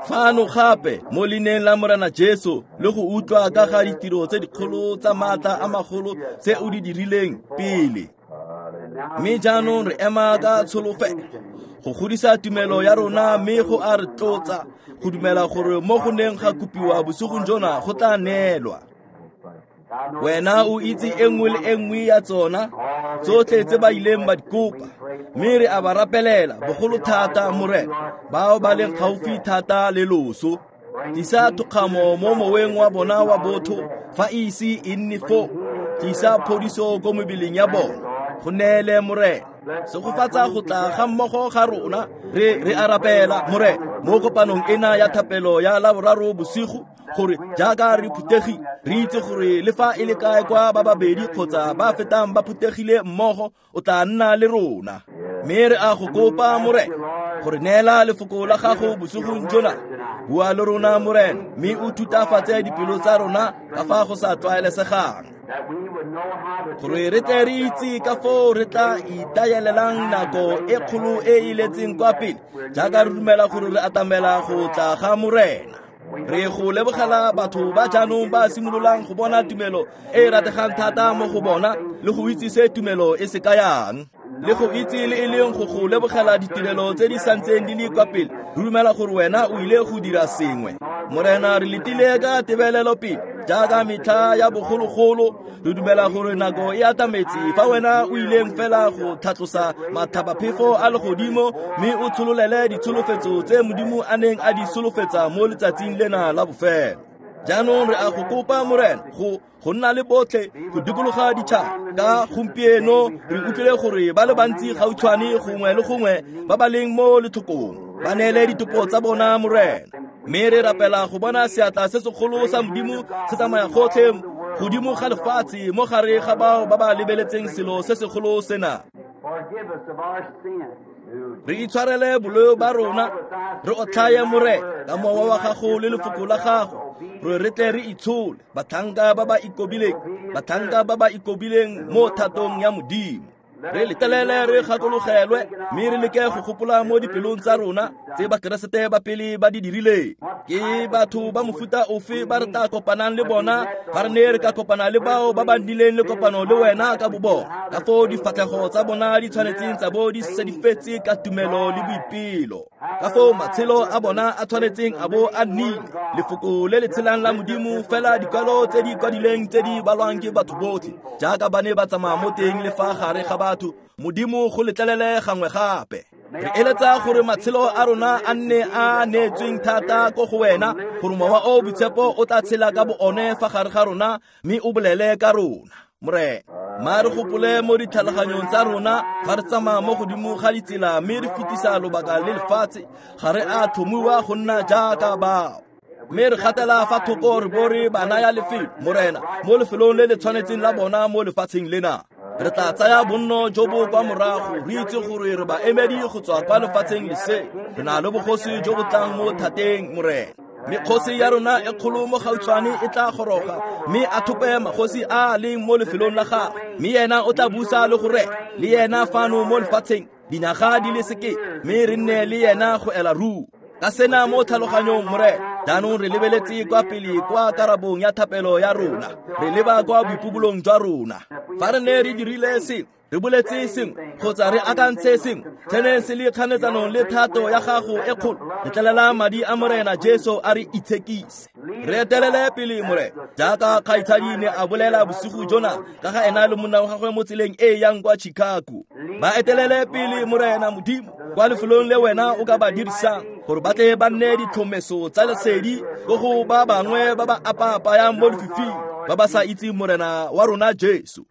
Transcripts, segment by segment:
Fano gape mo leineng la Morena Jesu le go utlwa ka ga ditiro tse dikgolo tsa maatla a magolo tse o di dirileng pele. Mme jaanong re ema ka tsholofelo go godisa tumelo ya rona mme go a re tlotsa go dumela gore mo go neng ga kopiwa bosigong jona go tla neelwa. Wena o itse e nngwe le e nngwe ya tsona tsotlhe tse ba ileng ba di kopa, mme re a ba rapelela bogolo thata, Morena, bao ba leng gaufi thata le loso. Tlisa thokgamo mo moweng wa bona wa botho fa e ise e nne foo. Tlisa phodiso ko mebeleng ya bona. Go neele, Morena. Segofatsa go tla ga mmogo ga rona. Re a rapela, Morena, mo kopanong ena ya thapelo ya Laboraro bosigo, gore jaaka re phuthegile re itse gore le fa e le kae kwa ba babedi kgotsa ba fetang ba phuthegile mmogo, o tla nna le rona. Mme re a go kopa, Morena, gore neela lefoko la gago bosigong jona. Bua le rona, Morena, mme o thutafatse dipelo tsa rona ka fa go sa tlwaelesegang, gore re tle re itse ka foo re tla itaelelang nako e kgolo e e letseng kwa pele, jaaka re dumela gore re atamela go tla ga Morena. Re go lebogela batho ba jaanong ba simololang go bona tumelo e e rategang thata mo go bona, le go itse se tumelo e se kayang, le go itse le e leng go go lebogela ditirelo tse di santseng di le kwa pele. Re dumela gore wena o ile go dira sengwe, Morena. Re letile ka tebelelo pele jaaka metlha ya bogologolo. Re dumela gore nako e atametse fa wena o ileng fela go tlhatlosa mathabaphefo a legodimo mme o tshololele ditsholofetso tse Modimo a neng a di solofetsa mo letsatsing lena la bofelo. Jaanong re a go kopa, Morena, go nna le botlhe go dikologa ditšhaba. Ka gompieno re utlwile gore ba le bantsi gautshwane gongwe le gongwe ba ba leng mo letlhokong ba neele ditopo tsa bona, Morena. Mme re rapela go bona seatla se segolo sa Modimo se tsamaya gotlhe godimo ga lefatshe mo gare ga bao ba ba lebeletseng selo se segolo sena. Re itshwarele boleo ba rona, re otlhaye, Morena, ka mowa wa gago le lefoko la gago, gore re tle re itshole batlhanka ba ba ikobileng, batlhanka ba ba ikobileng mo thatong ya Modimo. Re letelele re gakologelwe mme re leke go gopola mo dipelong tsa rona tse Bakeresete ba pele ba di dirileng. Ke batho ba mofuta ofe ba re tla kopanang le bona fa re ne re ka kopana le bao ba ba nnileng le kopano le wena ka bobona, ka foo difatlhego tsa bona di tshwanetseng tsa bo di sedifetse ka tumelo le boipelo, ka foo matshelo a bona a tshwanetseng a bo a nnile lefoko le le tshelang la Modimo, fela dikwalo tse di kwadileng tse di balwang ke batho botlhe jaaka ba ne ba tsamaya mo teng le fa gare ga batho. Modimo, go letlelele gangwe gape. Re eletsa gore matshelo a rona a nne a neetsweng thata ko go wena, gore mowa o boitshepo o tla tshela ka bo one fa gare ga rona mme o bolele ka rona, Morena. Ma re gopole mo ditlhaloganyong tsa rona fa re tsamaya mo godimo ga ditsela mme re fetisa lobaka le lefatshe. Ga re a tlhomiwa go nna jaaka bao, mme re gatela fa thoko re bo re ba naya lefelo, Morena, mo lefelong le le tshwanetseng la bona mo lefatsheng lena. Re tla tsaya bonno jo bo kwa morago, re itse gore re baemedi go tswa kwa lefatsheng lese. Re na le bogosi jo bo tlang mo thateng, Morena, mme kgosi ya rona e kgolo mo gautshwane e tla goroga mme a thope magosi a a leng mo lefelong la gagwe, mme yena o tla busa le go rena le yena fano mo lefatsheng dinyaga di le sekete, mme re nne le yena go ela ruri. Ka sena mo tlhaloganyong, Morena, jaanong re lebeletse kwa pele kwa karabong ya thapelo ya rona. Re leba kwa boipubolong jwa rona. Fa re ne re dirile sengwe, re boletse sengwe kgotsa re akantse sengwe se se le kganetsanong le thato ya gago e kgolo, letlelela madi a Morena Jesu a re itshekise. Re etelele pele, Morena, jaaka kgaitshadi ne a bolela bosigo jona ka ga ena le monna wa gagwe mo tseleng e e yang kwa Chicago. Ba etelele pele, Morena Modimo, kwa lefelong le wena o ka ba dirisang gore ba tle ba nne ditlhomeso tsa lesedi ko go ba bangwe ba ba apaapayang mo lefifing, ba ba sa itseng Morena wa rona Jesu.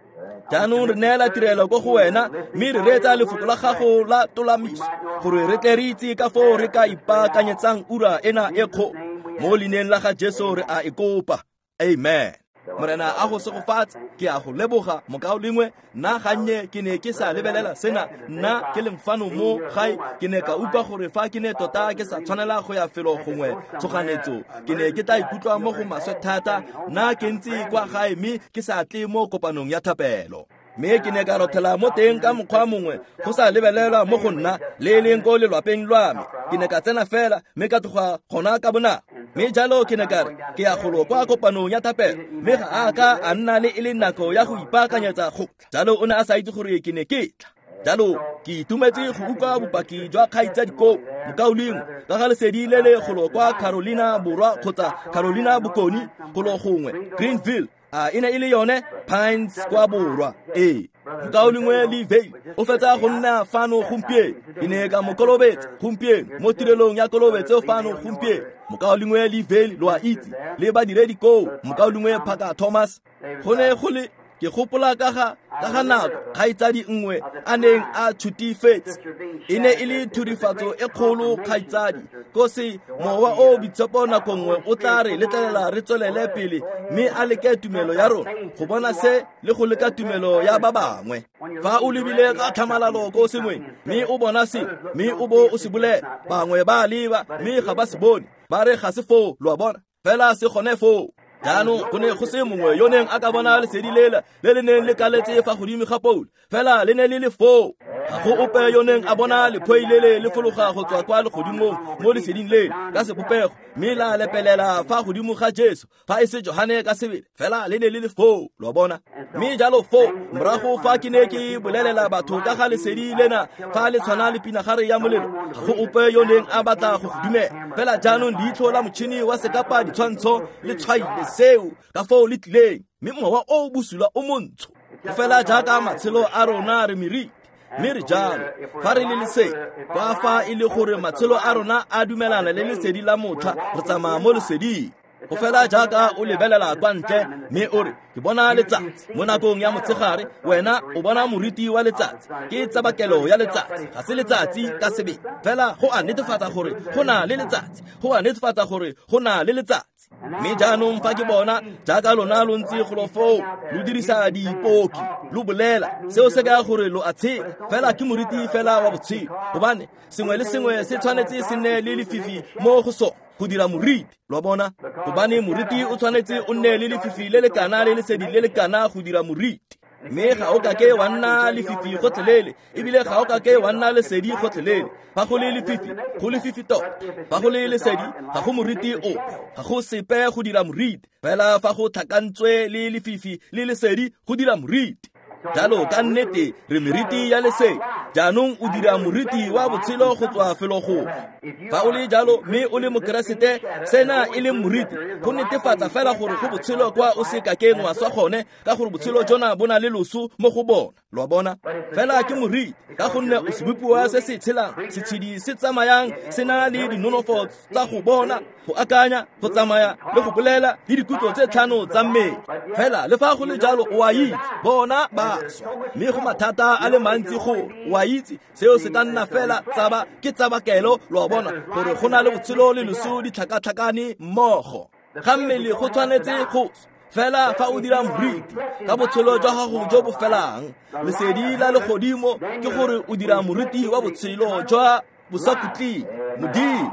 Jaanong re neela tirelo ko go wena mme re reetsa lefoko la gago la tolamiso, gore re tle re itse ka foo re ka ipaakanyetsang ura ena e kgolo. Mo leineng la ga Jesu re a e kopa, amen. Morena a go segofatse. Ke a go leboga, mokaulengwe. Nna gannye ke ne ke sa lebelela sena, nna ke leng fano mo gae. Ke ne ka utlwa gore fa ke ne tota ke sa tshwanela go ya felo gongwe tshoganetso, ke ne ke tla ikutlwa mo go maswe thata nna ke ntse kwa gae mme ke sa tle mo kopanong ya thapelo. Mme ke ne ka rothela mo teng ka mokgwa mongwe go sa lebelelwa mo go nna le e leng ko lelwapeng lwa me. Ke ne ka tsena fela mme ka tloga gona ka bonako. Mme jalo ke ne ka re ke ya golo kwa kopanong ya thapelo, mme ga a ka a nna le e le nako ya go ipaakanyetsa go tla. Jalo o ne a sa itse gore ke ne ke tla. Jalo ke itumetse go utlwa bopaki jwa kgaitsadi koo mokaulengwe ka ga lesedi le le golo kwa Carolina Borwa kgotsa Carolina Bokoni golo gongwe Greenville. A e ne e le yone Pines kwa Borwa. Ee, mokaulengwe Lee Vayle o fetsa go nna fano gompieno. Ke ne ka mo kolobetsa gompieno mo tirelong ya kolobetso fano gompieno. Mokaulengwe Lee Vayle lo a itse, le badiredi koo, mokaulengwe Parker Thomas. Go ne go le ke gopola ka ga nako kgaitsadi nngwe a neng a tshutifetse. E ne e le thurifatso e kgolo kgaitsadi ko se mowa o boitshepo nako nngwe o tla re letlelela re tswelele pele mme a leke tumelo ya rona go bona se le go leka tumelo ya ba bangwe. Fa o lebile ka tlhamalalo ko sengweng mme o bona se mme o bo o se bolela, bangwe ba leba mme ga ba se bone, ba re ga se foo, lo a bona, fela se gone foo. Jaanong go ne go se mongwe yo neng a ka bona lesedi lela le le neng le kaletse fa godimo ga Paulo, fela le ne le le foo. Ga go ope yo neng a bona lephoi lele le fologa go tswa kwa legodimong mo leseding lele ka sebopego mme la lepelela fa godimo ga Jesu, fa e se Johane ka sebele, fela le ne le le foo, lo a bona. Mme jalo foo morago fa ke ne ke bolelela batho ka ga lesedi lena fa le tshwana le pinagare ya molelo, ga go ope yo neng a batla go go dumela. Fela jaanong leitlho la motšhini wa sekapa ditshwantsho le tshwaile seo ka foo le tlileng, mme mowa o bosula o montsho. Fela jaaka matshelo a rona re meriti, mme re jalo fa re le lesedi, kwa fa e le gore matshelo a rona a dumelana le lesedi la motlha, re tsamaya mo leseding. Go fela jaaka o lebelela kwa ntle mme o re ke bona letsatsi mo nakong ya motshegare, wena o bona moriti wa letsatsi, ke tsabakelo ya letsatsi, ga se letsatsi ka sebele, fela go a netefatsa gore go na le letsatsi, go a netefatsa gore go na le letsatsi. Mme jaanong fa ke bona jaaka lona lo ntse golo foo lo dirisa dipoki lo bolela, seo se kaya gore lo a tshela, fela ke moriti fela wa botshelo, gobane sengwe le sengwe se tshwanetse se nne le lefifi mo go sone go dira moriti, lo a bona, gobane moriti o tshwanetse o nne le lefifi le le kana le lesedi le le kana go dira moriti. Mme ga o kake wa nna lefifi gotlhelele, ebile ga o kake wa nna lesedi gotlhelele. Fa go le lefifi, go lefifi tota. Fa go le lesedi, ga go moriti ope, ga go sepe go dira moriti. Fela fa go tlhakantswe le lefifi le lesedi go dira moriti. Jalo ka nnete re meriti ya lesedi. Jaanong o dira moriti wa botshelo go tswa felo gongwe. Fa o le jalo mme o le mokeresete, sena e le moriti go netefatsa fela gore go botshelo kwa o se kakeng wa swa gone, ka gore botshelo jona bo na le loso mo go bona, lo a bona. Fela ke moriti ka gonne o sebopiwa se se tshelang, setshedi se tsamayang se na le dinonofo tsa go bona, go akanya, go tsamaya le go bolela le dikutlo tse tlhano tsa mmele. Fela le fa go le jalo o a itse bona ba swa, mme go mathata a le mantsi go o a itse seo se ka nna fela tsaba ke tsabakelo, lo a bona, gore go na le botshelo le loso di tlhakatlhakane mmogo. Ga mmele go tshwanetse go fela fa o dira moriti ka botshelo jwa gago jo bo felang, lesedi la legodimo ke gore o dira moriti wa botshelo jwa bosakhutleng Modimo.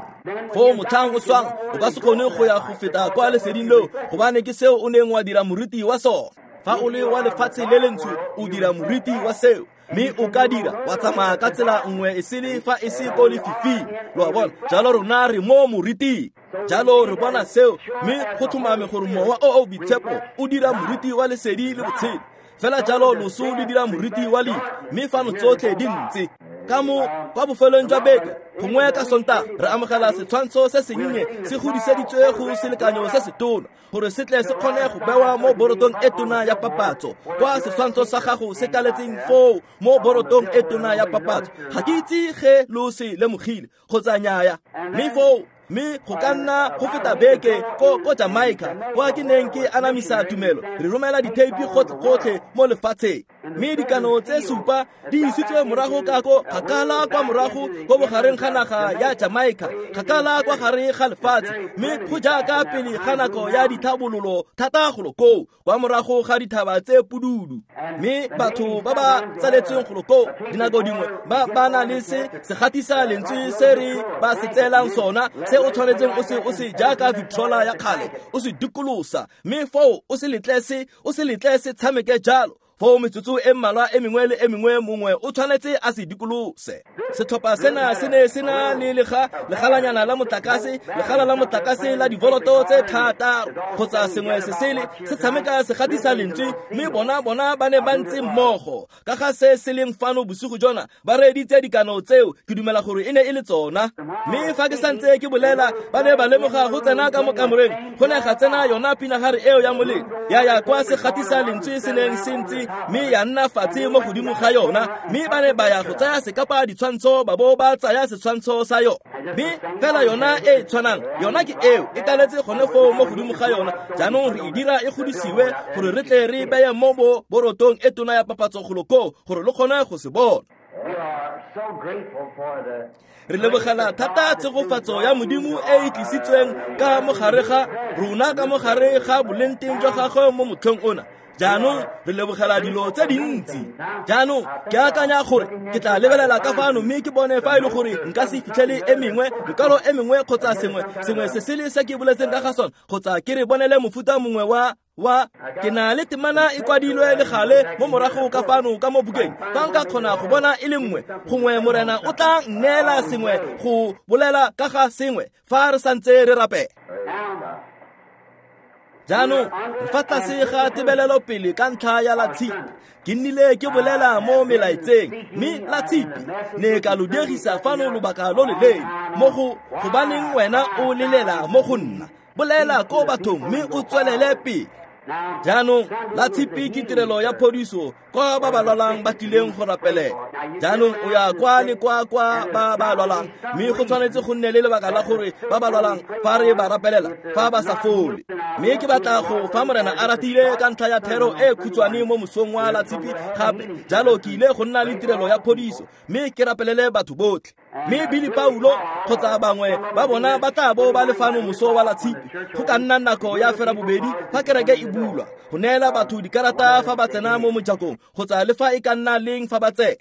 Foo motlhang o swang o ka se kgone go ya go feta kwa leseding leo, gobane ke seo o neng wa dira moriti wa sona. Fa o le wa lefatshe le lentsho o dira moriti wa seo, mme o ka dira wa tsamaya ka tsela nngwe e sele fa e se ko lefifing, lo a bona. Jalo rona re mo moriting, jalo re bona seo, mme go tlhomame gore mowa o o boitshepo o dira moriti wa lesedi le botshelo. Fela jalo loso le dira moriti wa lefu, mme fano tsotlhe di ntse. Ka mo kwa bofelong jwa beke gongwe ka Sontaga re amogela setshwantsho se sennye se godiseditswe go selekanyo se se tona gore se tle se kgone go bewa mo borotong e tona ya papatso, kwa setshwantsho sa gago se kaletseng foo mo borotong e tona ya papatso. Ga ke itse ge lo se lemogile kgotsa nnyaya, mme foo mme go ka nna go feta beke ko Jamaica kwa ke neng ke anamisa tumelo, re romela ditheipi gotlhe mo lefatsheng, mme dikano tse 7 di isitswe morago ka ko kgakala kwa morago ko bogareng ga naga ya Jamaica, kgakala kwa gare ga lefatshe, mme go jaaka pele ga nako ya dithabololo thata golo koo kwa morago ga dithaba tse pududu. Mme batho ba ba tsaletsweng golo koo dinako dingwe ba na le se segatisa lentswe se re ba se tseelang sona, se o tshwanetseng o se jaaka Victrola ya kgale, o se dikolosa, mme foo o se letle se tshameke jalo. Foo metsotso e mmalwa e mengwe le e mengwe mongwe o tshwanetse a se dikolose. Setlhopha sena se ne se na le legalanyana la motlakase, legala la motlakase la divoloto tse 6 kgotsa sengwe se sele se tshameka se gatisa lentswe, mme bona ba ne ba ntse mmogo. Ka ga se se leng fano bosigo jona, ba reeditse dikano tseo, ke dumela gore e ne e le tsona. Mme fa ke santse ke bolela, ba ne ba lemoga go tsena ka mo kamoreng, go ne ga tsena yona pinagare eo ya molelo, ya ya kwa se gatisa lentswe se neng se ntse, mme ya nna fatshe mo godimo ga yona, mme ba ne ba ya go tsaya sekapa ditshwantsho ba bo ba tsaya setshwantsho sa yona. Mme fela yona e tshwanang, yona ke eo e kaletse gone foo mo godimo ga yona. Jaanong re e dira e godisiwe gore re tle re beye mo borotong e tona ya papatso golo koo gore lo kgone go se bona. Re lebogela thata tshegofatso ya Modimo e e tlisitsweng ka mogare ga rona, ka mogare ga bolengteng jwa gagwe mo motlheng ona. Jaanong re lebogela dilo tse dintsi. Jaanong ke akanya gore ke tla lebelela ka fano mme ke bone fa e le gore nka se fitlhele e mengwe, mekwalo e mengwe kgotsa sengwe se sele se ke boletseng ka ga sone, kgotsa ke re bonele mofuta mongwe wa ke na le temana e kwadilwe le gale mo morago ka fano ka mo bukeng. Fa nka kgona go bona e le nngwe, gongwe Morena o tla nneela sengwe go bolela ka ga sengwe fa re santse re rapela. Jaanong fa tlase ga tebelelo pele ka ntlha ya la tshipi, ke nnile ke bolela mo melaetseng, mme la tshipi ne ka lo dirisa fano lobaka lo loleele mo go gobaneng wena o lelela mo go nna. Bolela ko bathong mme o tswelele pele. Jaanong la tshipi ke tirelo ya phodiso kwa ba ba lwalang ba tlileng go rapelela. Jaanong o ya kwa le kwa ba ba lwalang, mme go tshwanetse go nne le lebaka la gore ba ba lwalang fa re ba rapelela fa ba sa fole. Mme ke batla go fa Morena a ratile ka ntlha ya thero e khutshwane mo mosong wa la tshipi gape. Jalo ke ile go nna le tirelo ya phodiso mme ke rapelele batho botlhe. Mme Billy Paulo kgotsa bangwe ba bona ba tla bo ba le fano moso wa la tshipi go ka nna nako ya 2:30 fa kereke e bulwa, go neela batho dikarata fa ba tsena mo mojakong kgotsa le fa e ka nna leng fa ba tsena.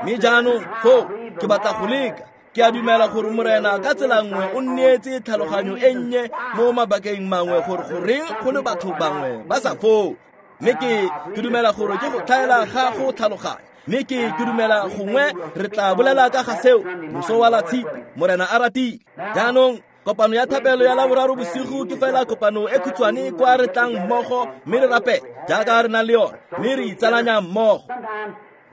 Mme jaanong foo ke batla go leka. Ke a dumela gore Morena ka tsela nngwe o nneetse tlhaloganyo e nnye mo mabakeng mangwe gore goreng go le batho bangwe ba sa foo. Mme ke dumela gore ke go tlhaela ga go tlhaloganya. Mme ke dumela gongwe re tla bolela ka ga seo moso wa la tshipi, Morena a ratile. Jaanong kopano ya thapelo ya Laboraro bosigo ke fela kopano e khutshwane kwa re tlang mmogo mme re rapela jaaka re na le yona, mme re itsalanya mmogo.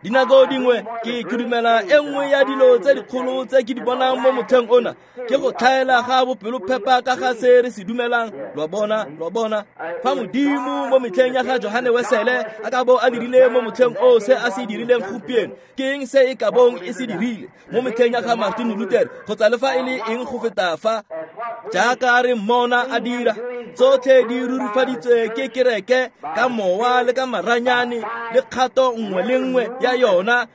Dinako dingwe ke dumela e nngwe ya dilo tse dikgolo tse ke di bonang mo motlheng ona ke go tlhaela ga bopelophepa ka ga se re se dumelang. Lo bona fa Modimo mo metlheng ya ga Johane Wesele a ka bo a dirile mo motlheng o se a se dirileng gompieno, ke eng se e ka bong e se dirile mo metlheng ya ga Martin Luther kgotsa le fa e le eng go feta fa jaaka re mmona a dira. Tsotlhe di rurifaditswe ke kereke ka mowa le ka maranyane le kgato nngwe le nngwe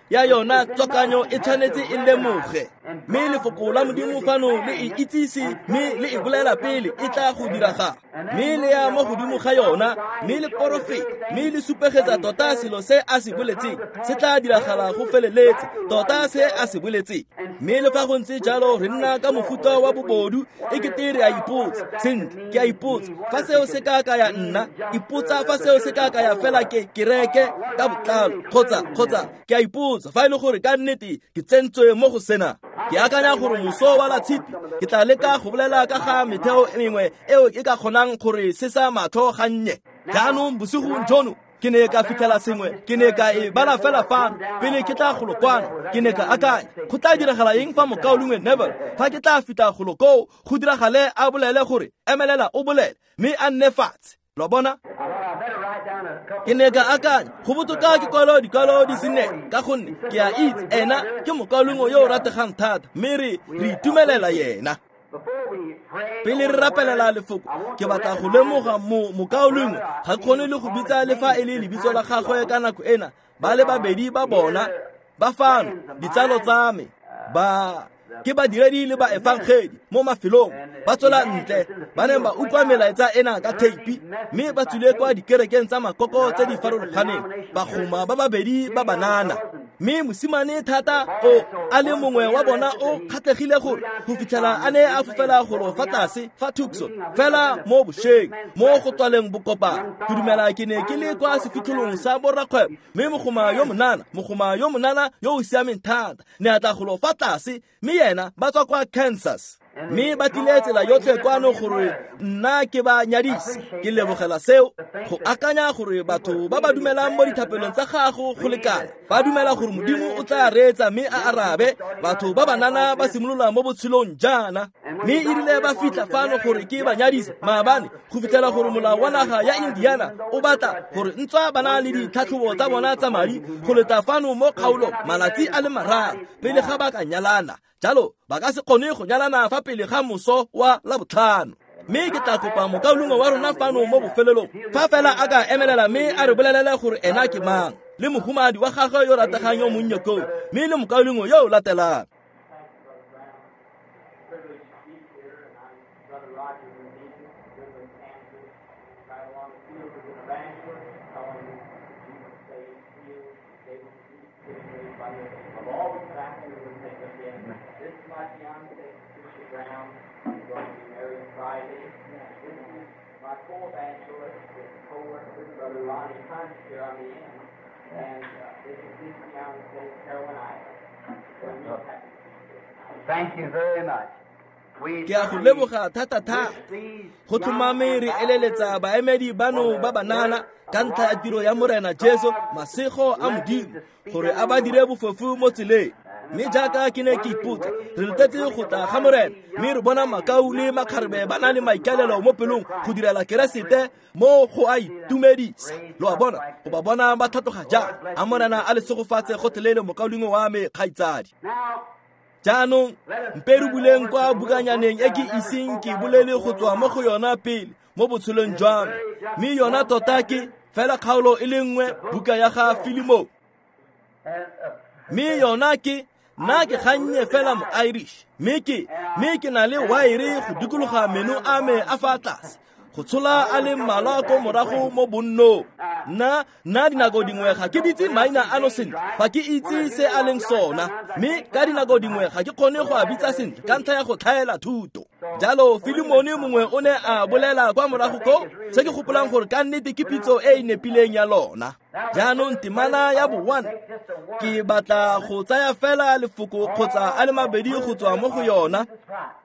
ya yona tswakanyo e tshwanetse e lemoge. Mme lefoko la Modimo fano le e itsise mme le e bolela pele e tla go diragala, mme le ya mo godimo ga yona, mme le porofeta, mme le supegetsa tota selo se a se boletseng se tla diragala go feleletse tota se a se boletseng. Mme le fa go ntse jalo re nna ka mofuta wa bobodu e kete re a ipotsa. Sentle, ke a ipotsa fa seo se ka ka ya nna, ipotsa fa seo se ka ka ya fela ke kereke ka botlalo, kgotsa ke a ipotsa fa e le gore ka nnete ke tsentswe mo go sena. Ke akanya gore moso wa la tshipi ke tla leka go bolela ka ga metheo e mengwe eo e ka kgonang gore se sa matlho gannye. Jaanong bosigong jono ke ne ka fitlhela sengwe, ke ne ka e bala fela fano pele ke tla golo kwano. Ke ne ka akanya go tla diragala eng fa mokaulengwe Neville fa ke tla fitlha golo koo go diragale a bolele gore emelela o bolele mme a nne fatshe. Lo bona? Ke ne ka akanya go botoka ke kwalo dikwalo di se nne, ka gonne ke a itse ena ke mokaulengwe yo o rategang thata, mme re itumelela yena. Pele re rapelela lefoko, ke batla go lemoga mokaulengwe ga kgone le go bitsa le fa e le lebitso la gagwe ka nako ena. Ba le babedi ba bona ba fano, ditsalo tsa me, ba ke badiredi le ba efangedi mo mafelong, ba tswela ntle, ba ne ba utlwa melaetsa ena ka theipi, mme ba tswile kwa dikerekeng tsa makoko tse di farologaneng, bagoma ba babedi ba banana. Mme mosimane thata o a le mongwe wa bona o kgatlhegile gore go fitlhela a ne a fofela golo fa tlase fa Tucson fela mo bošweng mo go tswaleng bokopano. Ke dumela ke ne ke le kwa sefitlholong sa borrakgwebo, mme mogoma yo monana yo o siameng thata ne a tla golo fa tlase, mme yena ba tswa kwa Kansas. Mme ba tlile tsela yotlhe kwano gore nna ke ba nyadise. Ke lebogela seo, go akanya gore batho ba ba dumelang mo dithapelong tsa gago go lekana ba dumela gore Modimo o tla reetsa mme a arabe. Batho ba banana ba simolola mo botshelong jaana, mme e rile ba fitlha fano gore ke ba nyadise maabane, go fitlhela gore molao wa naga ya Indiana o batla gore ntswa ba na le ditlhatlhobo tsa bona tsa madi go leta fano mo kgaolong malatsi a le 3 pele ga ba ka nyalana. Jalo ba ka se kgone go nyalana fa pele ga moso wa Labotlhano. Mme ke tla kopa mokaulengwe wa rona fano mo bofelelong fa fela a ka emelela mme a re bolelele gore ena ke mang, le mohumadi wa gagwe yo rategang yo monnye koo, mme le mokaulengwe yo o latelang. Thank you very much. Ke a go leboga thata-thata. Go tlhomame re eleletsa baemedi bano ba banana ka ntlha ya tiro ya Morena Jesu, masego a Modimo, gore a ba dire bofofu mo tseleng. Mme jaaka ke ne ke ipotsa, re letetse go tla ga Morena, mme re bona makau le makgarebe ba na le maikaelelo mo pelong go direla Keresete mo go a itumedisa. Lo a bona, go ba bona ba tlhatloga jang. A Morena a le segofatse gotlhelele, mokaulengwe wa me kgaitsadi. Jaanong mpe re buleng kwa bukanyaneng e ke iseng ke bolele go tswa mo go yona pele mo botshelong jwa me, mme yona tota ke fela kgaolo e le nngwe, buka ya ga Filemone. Mme yona ke nna ke gannye fela mo Irish, mme ke na le waere go dikologa meno a me a fa tlase, go tshola a le mmalwa ko morago mo bonnong. Nna dinako dingwe ga ke bitse maina ano sentle, ga ke itse se a leng sona, mme ka dinako dingwe ga ke kgone go a bitsa sentle ka ntlha ya go tlhaela thuto. Jalo Filemone mongwe o ne a bolela kwa morago ko se ke gopolang gore ka nnete ke pitso e e nepileng ya lona. Jaanong temana ya bo-1, ke batla go tsaya fela lefoko kgotsa a le mabedi go tswa mo go yona.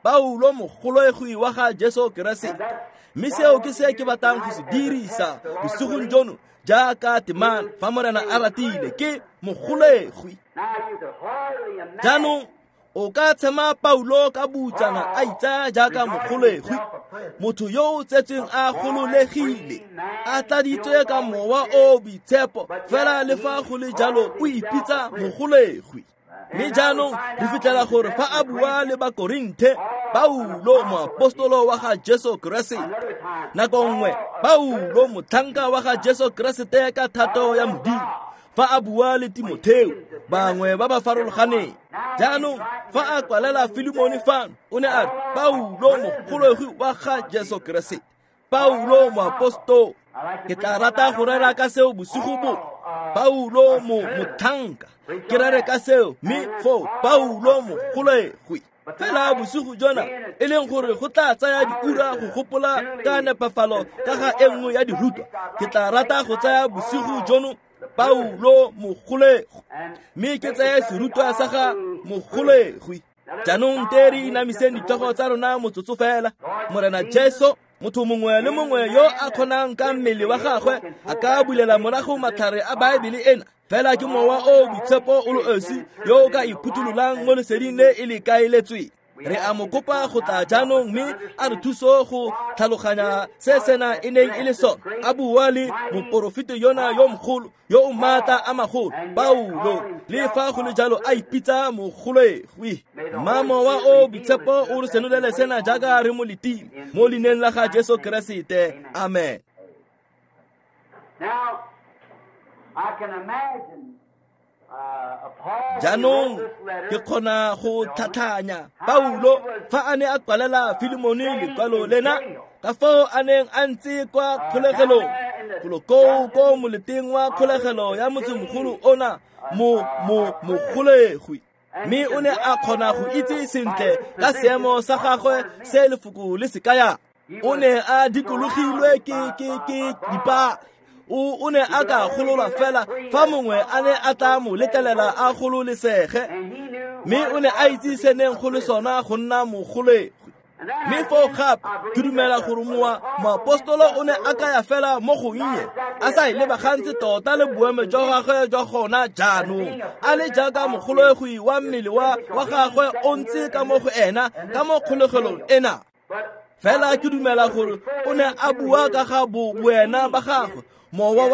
Paulo mogologwi wa ga Jesu Keresete. Mme seo ke se ke batlang go se dirisa bosigong jono jaaka temana fa Morena a ratile, ke mogolegwi. Jaanong o ka tshema Paulo ka butsana a itsaya jaaka mogolegwi, motho yo o tsetsweng a gololegile, a tladitswe ka mowa o boitshepo, fela le fa go le jalo o ipitsa mogolegwi. Mme jaanong re fitlhela gore fa a bua le Bakorinthe, Paulo moapostolo wa ga Jesu Keresete, nako nngwe Paulo motlhanka wa ga Jesu Keresete ka thato ya Modimo, fa a bua le Timotheo, bangwe ba ba farologaneng. Jaanong fa a kwalela Filemone fano, o ne a re Paulo mogologwi wa ga Jesu Keresete, Paulo moapostolo. Ke tla rata go rera ka seo bosigo bo. Paulo motlhanka, ke rere ka seo, mme foo Paulo mogolegwi. Fela bosigo jona e leng gore go tla tsaya diura go gopola ka nepafalo ka ga e nngwe ya dirutwa, ke tla rata go tsaya bosigo jono Paulo mogolegwi, mme ke tseye serutwa sa ga mogolegwi. Jaanong te re inamiseng ditlhogo tsa rona motsotso fela. Morena Jesu, motho mongwe le mongwe yo a kgonang ka mmele wa gagwe a ka bulela morago matlhare a Baebele ena, fela ke mowa o boitshepo o le osi yo o ka iphuthulolang mo leseding le e le kaeletsweng. Re a mo kopa go tla jaanong mme a re thuso go tlhaloganya se sena e neng e le sona. A bua le moporofeti yona yo mogolo yo o maatla a magolo, Paulo, le fa go le jalo a ipitsa mogolegwi. Mma mowa o boitshepo o re senolele sena jaaka re mo letile, mo leineng la ga Jesu Keresete. Amen. Now, I can imagine Jaanong ke kgona go tlhatlhanya Paulo fa a ne a kwalela Filemone lekwalo lena, ka fao a neng a ntse kwa kgolegelong Golo koo ko moleteng wa kgolegelo ya motsemogolo ona mogolegwi. Mme o ne a kgona go itse sentle ka seemo sa gagwe se lefoko le se kayang. O ne a dikologilwe ke dipale. O ne a ka gololwa fela fa mongwe a ne a tla mo letlelela a gololesege. Mme o ne a itse se neng go le sona go nna mogolegwi. Mme foo gape ke dumela gore moapostolo o ne a kaya fela mo gonnye, a sa e lebagantse tota le boemo jwa gagwe jwa gona jaanong, a le jaaka mogolegwi wa mmele wa gagwe o ntse ka mo go ena ka mo kgolegelong ena. Fela ke dumela gore o ne a bua ka ga boena ba gagwe, mowa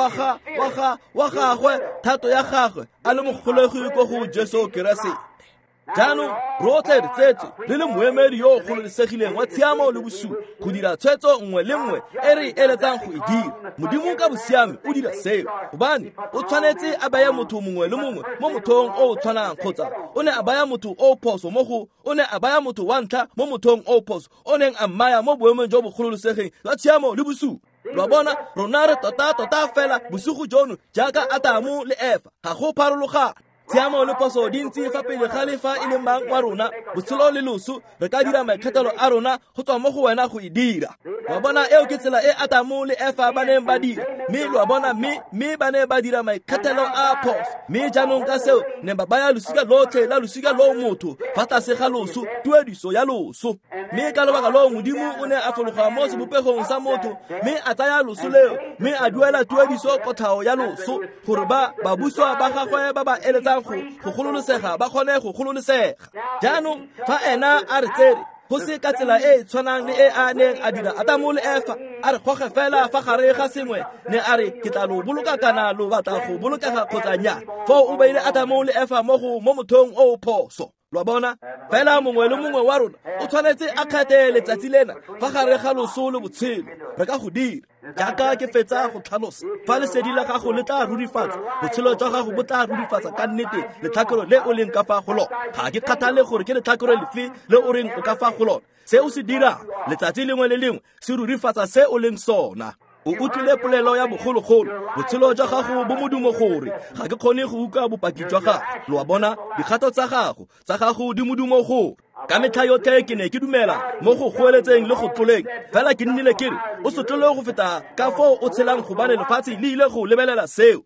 wa gagwe, thato ya gagwe, a le mogolegwi ko go Jesu Keresete. Jaanong rotlhe re tsetswe re le moemedi yo o gololesegileng wa tshiamo le bosula go dira tshwetso nngwe le nngwe e re eletsang go e dira. Modimo ka bosiame o dira seo, gobane o tshwanetse a baya motho mongwe le mongwe mo mothong o o tshwanang, kgotsa o ne a baya motho o phoso mo go o ne a baya motho wa ntlha mo mothong o phoso o neng a mmaya mo boemong jo bo gololesegeng jwa tshiamo le bosula. Lo bona, rona re tota fela bosigo jono jaaka Atamo le Efa, ga go pharologano. Tshiamo le phoso di ntse fa pele ga le fa e le mang wa rona, botshelo le loso, re ka dira maikgethelo a rona go tswa mo go wena go e dira. Wa bona, eo ke tsela e Atamo le Efa ba neng ba dira. Mme lo a bona, mme ba ne ba dira maikgethelo a phoso. Mme jaanong ka seo ne ba baya losika lotlhe la losika loo motho fa tlase ga loso, tuediso ya loso. Mme ka lobaka loo Modimo o ne a fologa mo sebopegong sa motho, mme a tsaya loso leo, mme a duela tuediso kotlhao ya loso, gore ba babuswa ba gagwe ba ba eletsang go gololesega ba kgone go gololesega. Jaanong fa ena a re tsere go se ka tsela e e tshwanang le e a neng a dira Atamo le Efa, a re goge fela fa gare ga sengwe, ne a re ke tla lo boloka kana lo batla go bolokega kgotsa nnyaa. Foo o beile Atamo le Efa mo mothong o o phoso. Lo bona, fela mongwe le mongwe wa rona o tshwanetse a kgethe letsatsi lena fa gare ga loso le botshelo. Re ka go dira jaaka ke fetsa go tlhalosa. Fa lesedi la gago le tla rurifatsa, botshelo jwa gago bo tla rurifatsa ka nnete letlhakore le o leng ka fa go lona. Ga ke kgathale gore ke letlhakore lefe le o reng o ka fa go lona. Se o se dirang letsatsi lengwe le lengwe se rurifatsa se o leng sona. O utlwile polelo ya bogologolo, botshelo jwa gago bo modumo gore ga ke kgone go utlwa bopaki jwa gago. Lo a bona, dikgato tsa gago di modumo gore. Ka metlha yotlhe ke ne ke dumela mo go goeletseng le go tloleng, fela ke nnile ke re o se tlole go feta ka foo o tshelang, gobane lefatshe le ile go lebelela seo.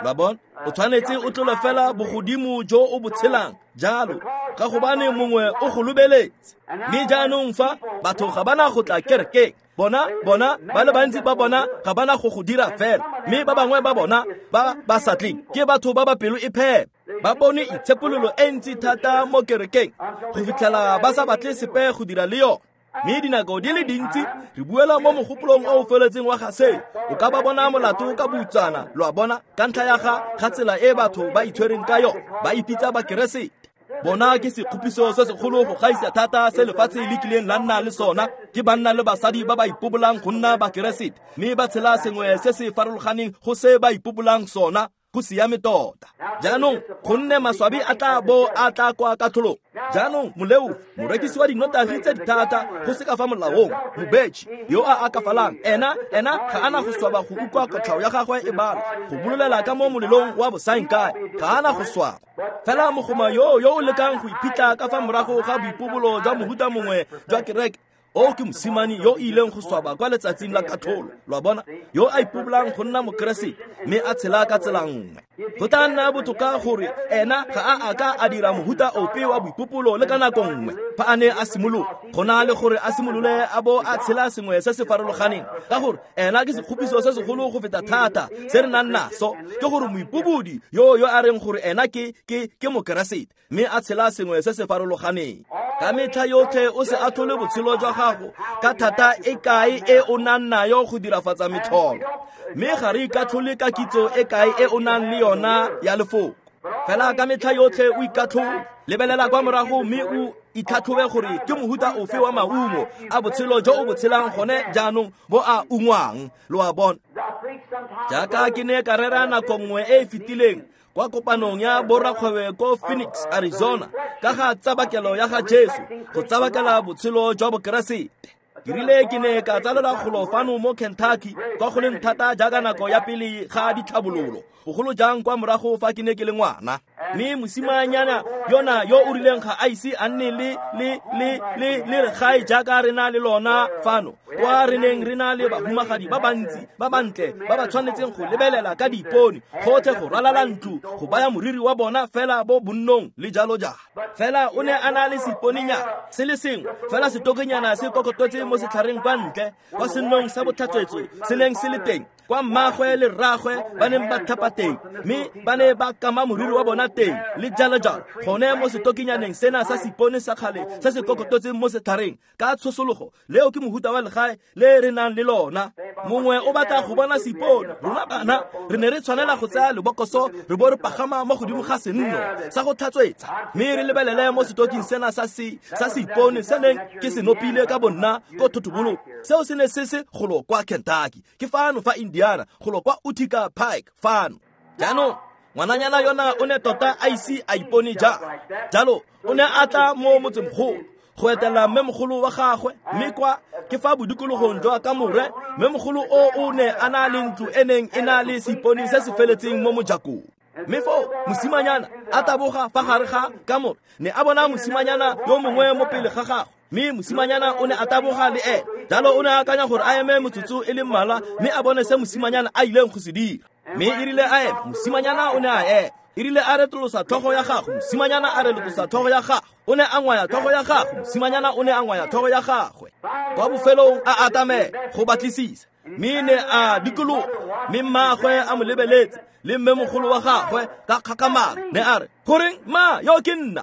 Lo a bona, o tshwanetse o tlole fela bogodimo jo o bo tshelang jalo, ka gobane mongwe o go lebeletse. Mme jaanong fa batho ga bana go tla kerekeng, bona ba le bantsi ba bona ga bana go go dira fela, mme ba bangwe ba bona ba ba sa tleng ke batho ba ba pelo e phepa. Ba bone itshepololo e ntsi thata mo kerekeng go fitlhela ba sa batle sepe go dira le yone. Mme dinako di le dintsi re buela mo mogopolong o o feletseng wa ga seo. O ka ba bona molato ka boutsana, lo a bona, ka ntlha ya ga tsela e batho ba itshwereng ka yone, ba ipitsa Bakeresete. Bona ke sekgopiso se segolo go gaisa thata se lefatshe le kileng la nna le sona, ke banna le basadi ba ba ipobolang go nna Bakeresete, mme ba tshela sengwe se se farologaneng go se ba ipobolang sona. Go siame tota. Jaanong gonne maswabi a tla bo a tla kwa katlholong. Jaanong moleo, morekisi wa dinotagi tse di thata go se ka fa molaong, mobetšhi yo a akafalang, ena ga ana go swaba go utlwa kotlhao ya gagwe e balwa, go bololela ka mo molelong wa bosaengkae, ga ana go swaba. Fela mogoma yo o lekang go iphitlha ka fa morago ga boipobolo jwa mohuta mongwe jwa kereke, o ke mosimane yo o ileng go swaba kwa letsatsing la katlholo. Lo a bona, yo a ipobolang go nna Mokeresete mme a tshela ka tsela nngwe. Go tla nna botoka gore ena ga a ka a dira mohuta ope wa boipopolo le ka nako nngwe fa a ne a simolola, go na le gore a simolole a bo a tshela sengwe se se farologaneng, ka gore ena ke sekgopiso se segolo go feta thata se re nang naso, ke gore moipobodi yo a reng gore ena ke Mokeresete mme a tshela sengwe se se farologaneng. Ka metlha yotlhe o se atlhole botshelo jwa gago ka thata e kae e o nang nayo go dirafatsa metlholo, mme ga re ikatlhole ka kitso e kae e o nang le yona ya lefoko. Fela ka metlha yotlhe o ikatlhole, lebelela kwa morago mme o itlhatlhobe gore ke mohuta ofe wa maungo a botshelo jo o bo tshelang gone jaanong bo a ungwang. Lo a bona, jaaka ke ne ka rera nako nngwe e e fetileng kwa kopanong ya borakgwebo ko Phoenix, Arizona, ka ga tsabakelo ya ga Jesu, go tsabakela botshelo jwa Bokeresete. Ke rile ke ne ka tsalelwa golo fano mo Kentucky kwa go leng thata jaaka nako ya pele ga ditlhabololo, bogolo jang kwa morago fa ke ne ke le ngwana. Mme mosimanyana yona yo o rileng ga a ise a nne le legae jaaka re na le lona fano, kwa re neng re na le bahumagadi ba bantsi ba bantle ba ba tshwanetseng go lebelela ka diipone gotlhe go ralala ntlo go baya moriri wa bona fela bo bonnong le jalo jalo. Fela o ne a na le seiponinyana se le sengwe fela, setokenyana se kokototse mo setlhareng kwa ntle kwa sennong sa botlhatswetso se neng se le teng, kwa mmagwe le rragwe ba neng ba tlhapa teng, mme ba ne ba kama moriri wa bona teng le jalo jalo, gone mo setokenyaneng sena sa seipone sa kgale se se kokototseng mo setlhareng ka tshosologo. Leo ke mohuta wa legae le re nang le lona. Mongwe o batla go bona seipone, rona bana re ne re tshwanela go tsaya lebokoso re bo re pagama mo godimo ga senno sa go tlhatswetsa, mme re lebelele mo setoking sena sa seipone se neng ke se nopile ka bonna ko thotobolo. Seo se ne se se golo kwa Kentucky, ke fano fa Indiana, golo kwa Utica Pike fano. Jaanong ngwananyana yona o ne tota a ise a ipone jalo, o ne a tla mo motsemogolo go etela mmemogolo wa gagwe, mme kwa ke fa bodikologong jwa kamore mmemogolo o o ne a na le ntlo e neng e na le seipone se se feletseng mo mojakong. Mme foo mosimanyana a taboga fa gare ga kamore, ne a bona mosimanyana yo mongwe mo pele ga gagwe, mme mosimanyana o ne a taboga le ene. Jalo o ne a akanya gore a eme motsotso e le mmalwa mme a bone se mosimanyana a ileng go se dira. Mme e rile a ema, mosimanyana o ne a ema. E rile a retolosa tlhogo ya gagwe, mosimanyana a retolosa tlhogo ya gagwe. O ne a ngwaya tlhogo ya gagwe, mosimanyana o ne a ngwaya tlhogo ya gagwe. Kwa bofelong a atamela go batlisisa, mme ne a dikologa, mme mmagwe a mo lebeletse le mmemogolo wa gagwe ka kgakamalo, ne a re, goreng ma yo ke nna?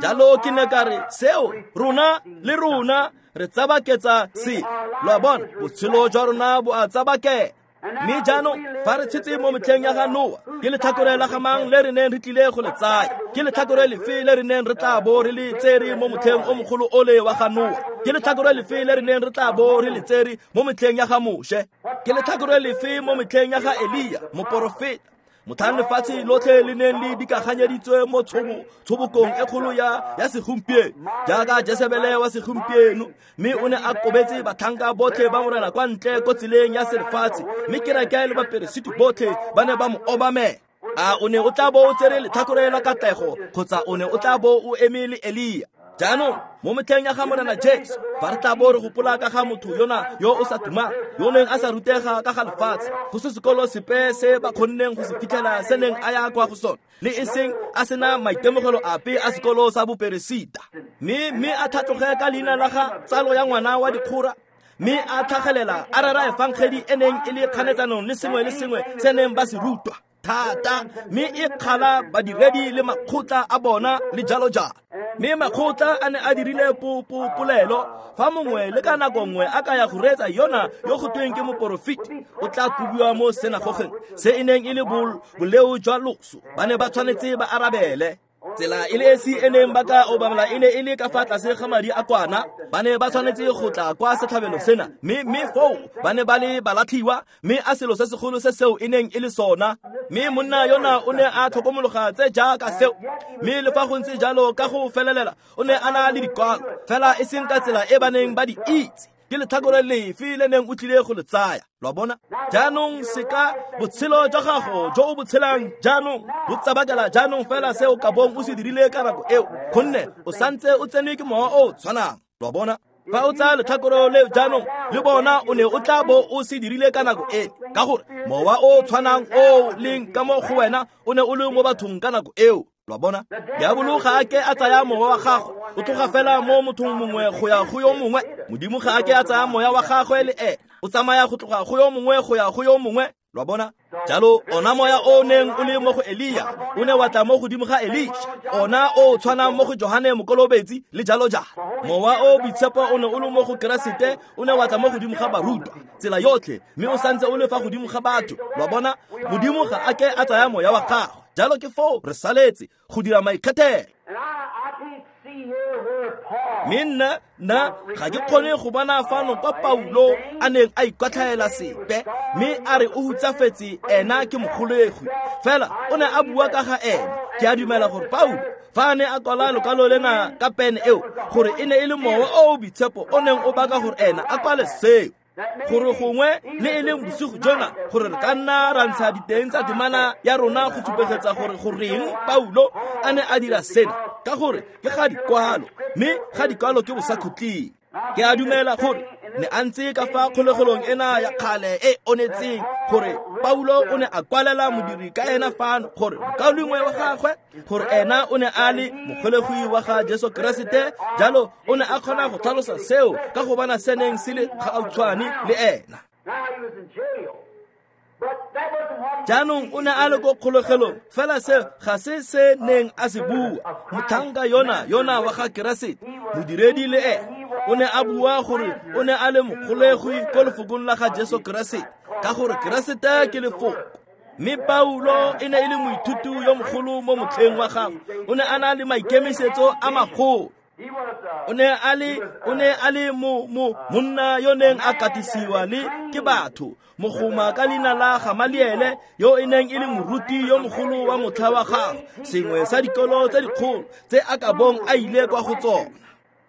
Jalo ke ne ka re, seo rona le rona re tsabaketsa se. Lo a bona, botshelo jwa rona bo a tsabakela. Mme jaanong fa re tshetse mo metlheng ya ga Noa, ke letlhakore la ga mang le re neng re tlile go le tsaya? Ke letlhakore lefe le re neng re tla bo re le tsere mo motlheng o mogolo ole wa ga Noa? Ke letlhakore lefe le re neng re tla bo re le tsere mo metlheng ya ga Moshe? Ke letlhakore lefe mo metlheng ya ga Elia moporofeta? Motlhang lefatshe lotlhe le neng le dikaganyeditswe mo tshobokong e kgolo ya segompieno jaaka Jesebele wa segompieno, mme o ne a kobetse batlhanka botlhe ba morena kwa ntle ko tseleng ya selefatshe, mme kereke le baperesiti botlhe ba ne ba mo obamela. A o ne o tla bo o tsere letlhakore la katlego, kgotsa o ne o tla bo o eme le Elia? Jaanong mo metlheng ya ga Morena Jesu, fa re tla bo re gopola ka ga motho yona yo o sa tumang, yo neng a sa rutega ka ga lefatshe, go se sekolo sepe se ba kgonneng go se fitlhela se neng a ya kwa go sone, le e seng a sena maitemogelo ape a sekolo sa boperesita, mme a tlhatloge ka leina la ga tsalo ya ngwana wa dikgora, mme a tlhagelela a rera efangedi e neng e le kganetsanong le sengwe le sengwe se neng ba se rutwa thata, mme e kgala badiredi le makgotla a bona le jalo jalo. Mme makgotla a ne a dirile polelo fa mongwe le ka nako nngwe a ka ya go reetsa yona yo go tweng ke moporofeti, o tla kobiwa mo senagogeng se e neng e le boleo jwa loso. Ba ne ba tshwanetse ba arabele. Tsela e le esi e neng ba ka obamela e ne e le ka fa tlase ga madi a kwana. Ba ne ba tshwanetse go tla kwa setlhabelo sena, mme foo ba ne ba le balatlhiwa, mme a selo se segolo se seo e neng e le sona. Mme monna yona o ne a tlhokomologa tse jaaka seo, mme le fa go ntse jalo ka go felelela o ne a na le dikwalo, fela e seng ka tsela e ba neng ba di itse. Ke letlhakore lefe le neng o tlile go le tsaya? Lo a bona? Jaanong seka botshelo jwa gago jo o bo tshelang jaanong bo tsabakela jaanong fela se o ka bong o se dirile ka nako eo, gonne o santse o tsenwe ke mowa o tshwanang. Lo a bona? Fa o tsaya letlhakore leo jaanong le bona o ne o tla bo o se dirile ka nako e, ka gore mowa o tshwanang o leng ka mo go wena o ne o le mo bathong ka nako eo. Lo a bona? Diabolo ga a ke a tsaya mowa wa gagwe, o tloga fela mo mothong mongwe go ya go yo mongwe. Modimo ga a ke a tsaya moya wa gagwe le ene, o tsamaya go tloga go yo mongwe go ya go yo mongwe. Lo a bona? Jalo ona moya o neng o le mo go Elia o ne wa tla mo godimo ga Elisha, ona o tshwanang mo go Johane Mokolobetsi le jalo jalo. Mowa o boitshepo o ne o le mo go Keresete o ne wa tla mo godimo ga barutwa tsela yotlhe, mme o santse o le fa godimo ga batho. Lo a bona? Modimo ga a ke a tsaya moya wa gagwe. Jalo ke foo re saletse go dira maikgethelo. Mme nna ga ke kgone go bona fano kwa Paulo a neng a ikwatlhaela sepe, mme a re o hutsafetse ena ke mogolegi. Fela o ne a bua ka ga ene. Ke a dumela gore Paulo Fa a ne a kwala lokwalo lena ka pene eo, gore e ne e le mowa o o boitshepo o neng o baka gore ena a kwale seo. Gore gongwe le e leng bosigo jona gore re ka nna ra ntsha diteng tsa temana ya rona go supegetsa gore goreng Paulo a ne a dira sena, ka gore ke ga dikwalo, mme ga dikwalo ke bosakhutleng. Ke a dumela gore ne a ntse ka fa kgolegelong ena ya kgale e onetseng, gore Paulo o ne a kwalela modiri ka ena fano gore mokaulengwe wa gagwe, gore ena o ne a le mogolegwi wa ga Jesu Keresete. Jalo o ne a kgona go tlhalosa seo ka go bona se neng se le gautshwane le ena. Jaanong o ne a le ko kgolegelong, fela se ga se se neng a se bua. Motlhanka yona wa ga Keresete, modiredi le ene, o ne a bua gore o ne a le mogolegwi ko lefokong la ga Jesu Keresete, ka gore Keresete ke lefoko. Mme Paulo e ne e le moithuti yo mogolo mo motlheng wa gagwe. O ne a na le maikemisetso a magolo. O ne a le monna yo neng a katisiwa le ke batho, mogoma ka leina la Gamaliele, yo e neng e le moruti yo mogolo wa motlha wa gagwe, sengwe sa dikolo tse dikgolo tse a ka bong a ile kwa go tsona.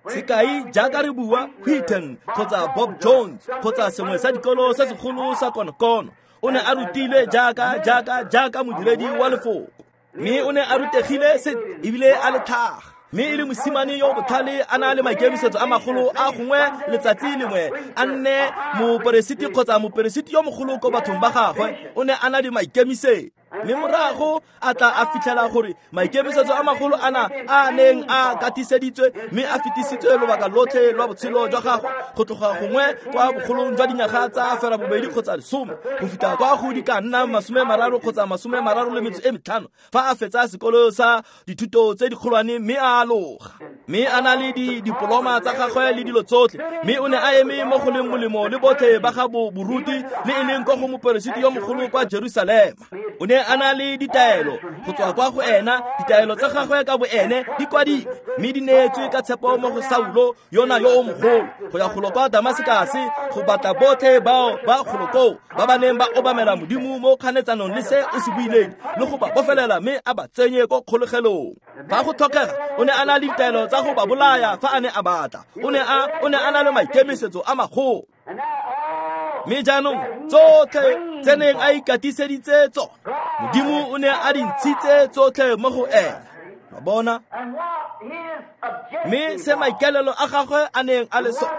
Sekai jaaka re bua Wheaton kgotsa Bob Jones kgotsa sengwe sa dikolo se segolo sa konokono. O ne a rutilwe jaaka modiredi wa lefoko, mme o ne a rutegile ebile a le tlhaga. Mme e le mosimane yo botlhale, a na le maikemisetso a magolo a gongwe letsatsi lengwe a nne moperesiti kgotsa moperesiti yo mogolo ko bathong ba gagwe. O ne a na le maikemisetso, mme morago a tla a fitlhela gore maikemisetso a magolo ana a neng a katiseditswe mme a fetisitswe lobaka lotlhe lwa botshelo jwa gagwe, go tloga gongwe kwa bogolong jwa dinyaga tsa 80 kgotsa 10 go fitlha kwa go di ka nna 30 kgotsa 35 fa a fetsa sekolo sa dithuto tse dikgolwane mme a aloga, mme a na le didiploma tsa gagwe le dilo tsotlhe. Mme o ne a eme mo go leng molemo le botlhe ba ga boruti, le e leng kwa go moperesiti yo mogolo kwa Jerusalema. O ne a na le ditaelo go tswa kwa go ena, ditaelo tsa gagwe ka boene di kwadilwe mme di neetswe ka tshepo mo go Saulo yona yo o mogolo, go ya golo kwa Damasekase go batla botlhe bao ba golo koo ba ba neng ba obamela Modimo mo kganetsanong le se o se buileng, le go ba bofelela mme a ba tsenye ko kgolegelong. Fa go tlhokega, o ne a na le ditaelo tsa go ba bolaya fa a ne a batla. O ne a na le maikemisetso a magolo. Mme jaanong tsotlhe tse neng a ikatiseditse tsona, Modimo o ne a di ntshitse tsotlhe mo go ena. Wa bona? Mme se maikaelelo a gagwe a neng a le sona,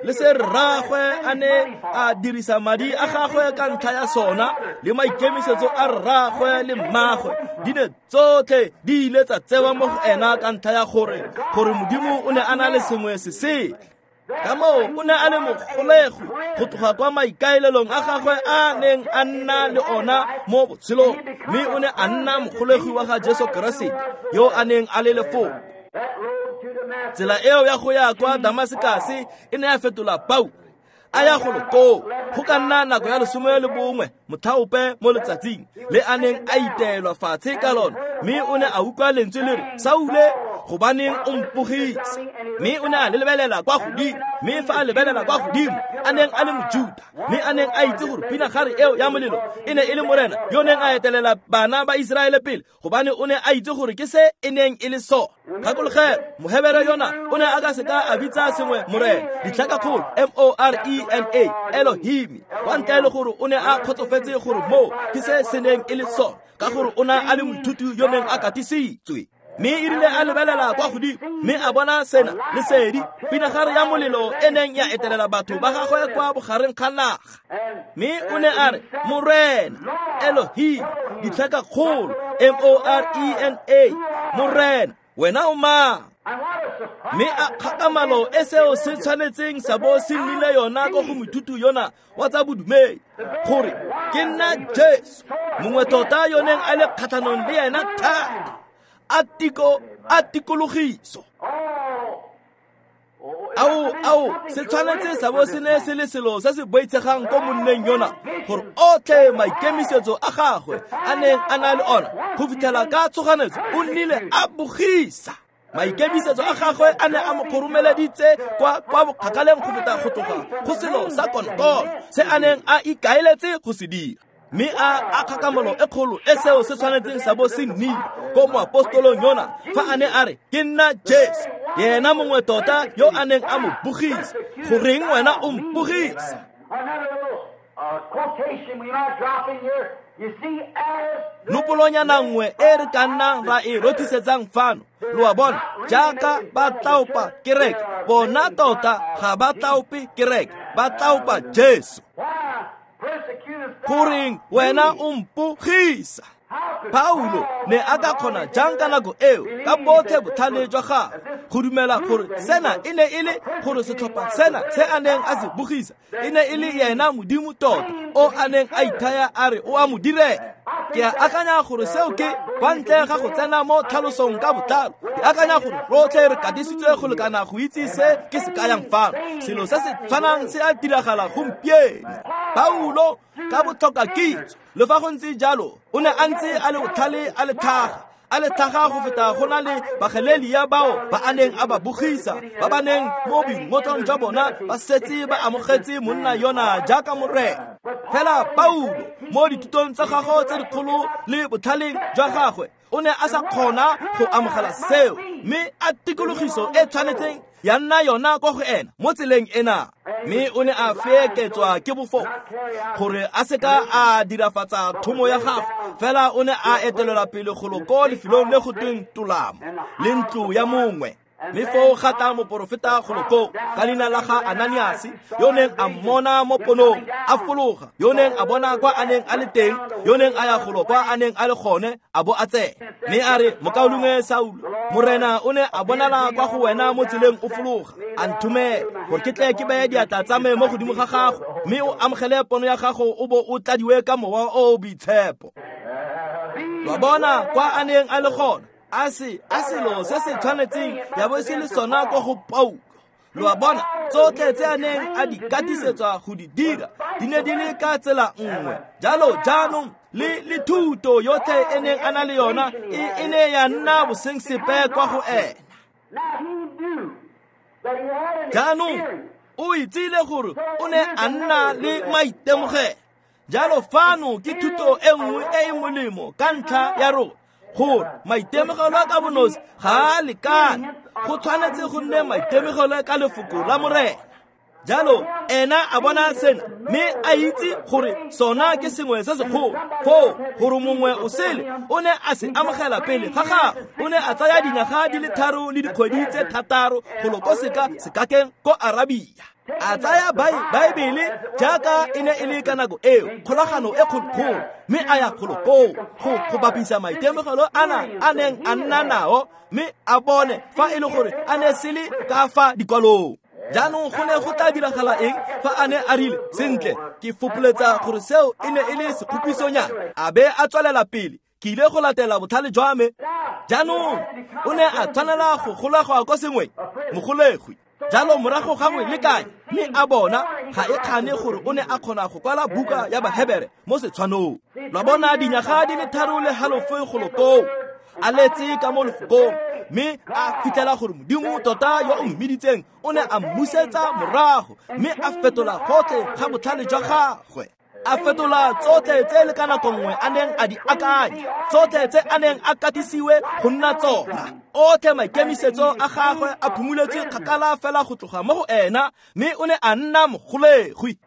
le se rraagwe a ne a dirisa madi a gagwe ka ntlha ya sona, le maikemisetso a rraagwe le mmagwe, di ne tsotlhe di ile tsa tsewa mo go ena ka ntlha ya gore Modimo o ne a na le sengwe se sele. Ka moo o ne a le mogolego go tloga kwa maikaelelong a gagwe a neng a nna le ona mo botshelong, mme o ne a nna mogolegi wa ga Jesu Keresete yo a neng a le lefoko. Tsela eo ya go ya kwa Damasekase e ne ya fetola Paulo a ya golo koo go ka nna nako ya 11 motlhaope mo letsatsing le a neng a iteelwa fatshe ka lona, mme o ne a utlwa lentswe le re, Saule, gobaneng o mpogisa? Mme o ne a lebelela kwa godimo, mme fa a lebelela kwa godimo a neng a le Mojuta, mme a neng a itse gore pinagare eo ya molelo e ne e le Morena yo neng a etelela bana ba Iseraele pele, gobane o ne a itse gore ke se e neng e le sona. Gakologela, Mohebere yona o ne a ka seka a bitsa sengwe Morena, ditlhakakgolo M-O-R-E-N-A, Elohim, kwa ntle le gore o ne a kgotsofetse gore moo ke se se neng e le sona, ka gore o ne a le moithuti yo neng a katisitswe. Mme e rile a lebelela kwa godimo mme a bona sena lesedi, pinagare ya molelo e neng ya etelela batho ba gagwe kwa bogareng ga naga. Mme o ne a re, Morena, Elohim, ditlhakakgolo M-O-R-E-N-A, Morena, wena o mang? Mme a kgakamalo e seo se tshwanetseng sa bo se nnile yona ko go moithuti yona wa tsa bodumedi, gore ke nna Jesu, mongwe tota yo neng a le kgatlhanong le ena thata, a tikologiso. Ao, se tshwanetse sa bo se ne se le selo se se boitshegang ko monneng yona, gore otlhe maikemisetso a gagwe a neng a na le ona go fitlhela ka tshoganetso o nnile a bogisa. Maikemisetso a gagwe a ne a mo kgoromeleditse kwa bokgakaleng go feta go tloga go selo sa konokono se a neng a ikaeletse go se dira. Mme a kgakamolo e kgolo e seo se tshwanetseng sa bo se nnile ko moapostolong yona fa a ne a re ke nna Jesu, yena mongwe tota yo a neng a mo bogisa. Goreng wena o mpogisa? Nopolonyana nngwe e re ka nnang ra e rothisetsang fano, lo a bona, jaaka ba tlaopa kereke, bona tota ga ba tlaope kereke, ba tlaopa Jesu. Goreng wena o mpogisa? Paulo ne a ka kgona jang ka nako eo ka botlhe botlhale jwa gagwe go dumela gore sena e ne e le gore setlhopha sena se a neng a se bogisa e ne e le yena Modimo tota o a neng a ithaya a re o a mo direla? Ke a akanya gore seo ke kwa ntle ga go tsena mo tlhalosong ka botlalo. Ke akanya gore rotlhe re katisitswe go lekana go itse se ke se kayang fano. Selo se se tshwanang se a diragala gompieno. Paulo ka botlhoka kitso, le fa go ntse jalo, o ne a ntse a le botlhale, a le tlhaga go feta go na le bagalelia bao ba a neng a ba bogisa, ba ba neng mo boingotlong jwa bona ba setse ba amogetse monna yona jaaka morena. Fela Paulo mo dithutong tsa gagwe tse dikgolo le botlhaleng jwa gagwe o ne a sa kgona go amogela seo, mme a tikologiso e tshwanetseng ya nna yona kwa go ena mo tseleng ena. Mme o ne a feeketswa ke bofoko gore a seka a dirafatsa thomo ya gagwe, fela o ne a etelelwa pele golo ko lefelong le go tweng Tolamo le ntlo ya mongwe. Mme foo ga tla moporofeta golo koo ka leina la ga Ananiase, yo neng a mmona mo ponong a fologa, yo neng a bona kwa a neng a le teng, yo neng a ya golo kwa a neng a le gone, a bo a tsena. Mme a re, mokaulengwe Saulo, Morena o ne a bonala kwa go wena mo tseleng o fologa, a nthomela gore ke tle ke beye diatla tsa me mo godimo ga gago, mme o amogele pono ya gago o bo o tladiwe ka mowa o o boitshepo. Lwa bona kwa a neng a le gona, a selo se se tshwanetseng ya bo se le sona kwa go Paulo. Lo a bona, tsotlhe tse a neng a di katisetswa go di dira di ne di le ka tsela nngwe. Jalo jaanong le thuto yotlhe e neng a na le yona e ne ya nna bosengsepe kwa go ena. Jaanong o itsile gore o ne a nna le maitemogelo. Jalo fano ke thuto e nngwe e e molemo ka ntlha ya rona, gore maitemogelo a ka bonosi ga a lekane, go tshwanetse go nne maitemogelo ka lefoko la Morena. Jalo ena a bona sena mme a itse gore sona ke sengwe se segolo, foo gore mongwe o sele o ne a se amogela pele ga gagwe. O ne a tsaya dinyaga di le 3 le dikgwedi tse 6 golo ko sekakeng ko Arabia. A tsaya Baebele jaaka e ne e le ka nako eo, kgolagano e kgolokgolo, mme a ya golo koo go bapisa maitemogelo ana a neng a nna nao, mme a bone fa e le gore a ne se le ka fa dikwalong. Jaanong go ne go tla diragala eng fa a ne a rile, sentle, ke fopoletsa gore seo e ne e le sekgopisonyana, a be a tswelela pele, ke ile go latela botlhale jwa me. Jaanong o ne a tshwanela go golegwa ko sengweng, mogolegwi. Jalo morago gangwe le kae, mme a bona ga e kgane gore o ne a kgona go kwala buka ya Bahebere mo setshwanong. Lwa bona dinyaga di le 3.5 golo koo, a letse ka mo lefokong, mme a fitlhela gore Modimo tota yo o mmiditseng o ne a mmusetsa morago, mme a fetola gotlhe ga botlhale jwa gagwe. A fetola tsotlhe tse le ka nako nngwe a neng a di akanya, tsotlhe tse a neng a katisiwe go nna tsona. Otlhe maikemisetso a gagwe a phumuletswe kgakala fela go tloga mo go ena, mme o ne a nna mogolegwi.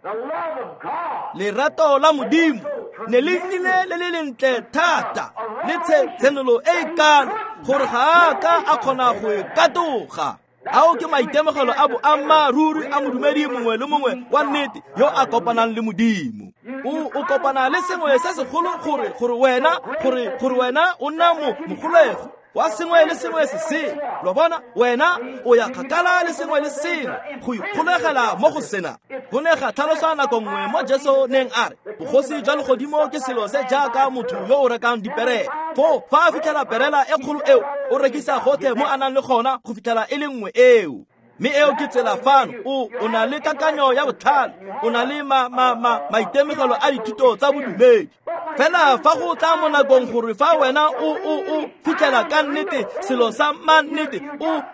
Lerato la Modimo ne le nnile le le lentle thata le tshenolo e e kalo gore ga a ka a kgona go e katoga. Ao ke maitemogelo a boammaaruri a modumedi mongwe le mongwe wa nnete yo a kopanang le Modimo. O kopana le sengwe se segolo gore wena o nna mogolego wa sengwe le sengwe se sele. Lo bona, wena o ya kgakala le sengwe le sengwe go ikgolegela mo go sena. Go ne ga tlhalosa nako nngwe mo Jesu neng a re bogosi jwa legodimo ke selo se jaaka motho yo o rekang diperela. Foo fa a fitlhela perela e kgolo eo, o rekisa gotlhe mo a nang le gona go fitlhela e le nngwe eo. Mme eo ke tsela fano, o na le kakanyo ya botlhale, o na le maitemogelo a dithuto tsa bodumedi. Fela fa go tla mo nakong gore fa wena o fitlhela ka nnete selo sa mannete,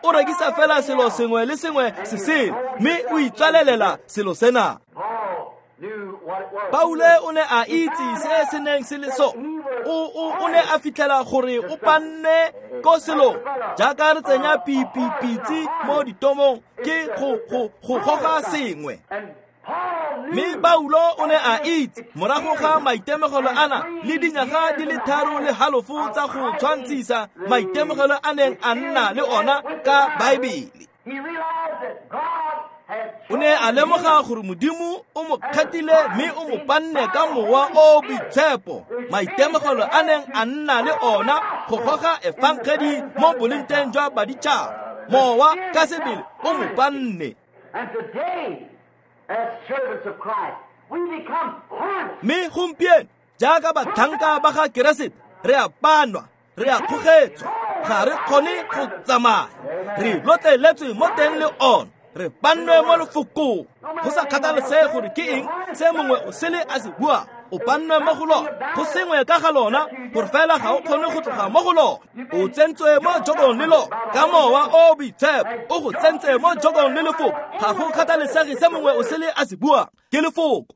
o rekisa fela selo sengwe le sengwe se sele, mme o itswalelela selo sena. Paulo o ne a itse se se neng se le so. O ne a fitlhela gore o panne ko selong jaaka re tsenya pitse mo ditomong ke go goga sengwe. Mme Paulo o ne a itse morago ga maitemogelo ana le dinyaga di le 3.5 tsa go tshwantshisa maitemogelo a neng a nna le ona ka Baebele. O ne a lemoga gore Modimo o mo kgethile mme o mo panne ka mowa o boitshepo maitemogelo a neng a nna le ona go goga efangedi mo bolengteng jwa baditšhaba. Mowa ka sebele o mo panne. Mme gompieno jaaka batlhanka ba ga Keresete re a panwa, re a kgogetswa, ga re kgone go tsamaya, re lotleletswe mo teng le ona, re pannwe mo lefokong. Go sa kgathalesege gore ke eng se mongwe o sele a se bua, o pannwe mo go lona, go sengwe ka ga lona gore fela ga o kgone go tloga mo go lona. O tsentswe mo jokong le lona ka mowa o boitshepo, o go tsentse mo jokong le lefoko. Ga go kgathalesege se mongwe o sele a se bua, ke lefoko.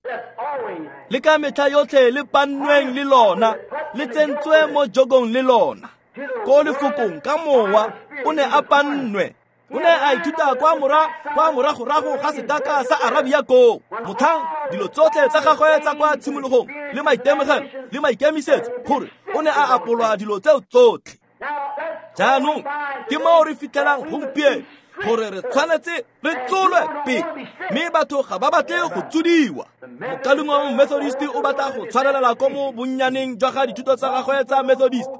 Le ka metlha yotlhe le pannweng le lona, le tsentswe mo jokong le lona. Ko lefokong ka mowa o ne a pannwe. O ne a ithuta kwa moragorago ga setaka sa Arabia koo. Motlhang dilo tsotlhe tsa gagwe tsa kwa tshimologong le maitemogelo le maikemisetso gore o ne a apolwa dilo tseo tsotlhe. Jaanong ke moo re fitlhelang gompieno gore re tshwanetse re tsolwe pele, mme batho ga ba batle go tsodiwa. Mokalengwe wa Methodist o batla go tshwarelela ko mo bonnyaneng jwa ga dithuto tsa gagwe tsa Methodist.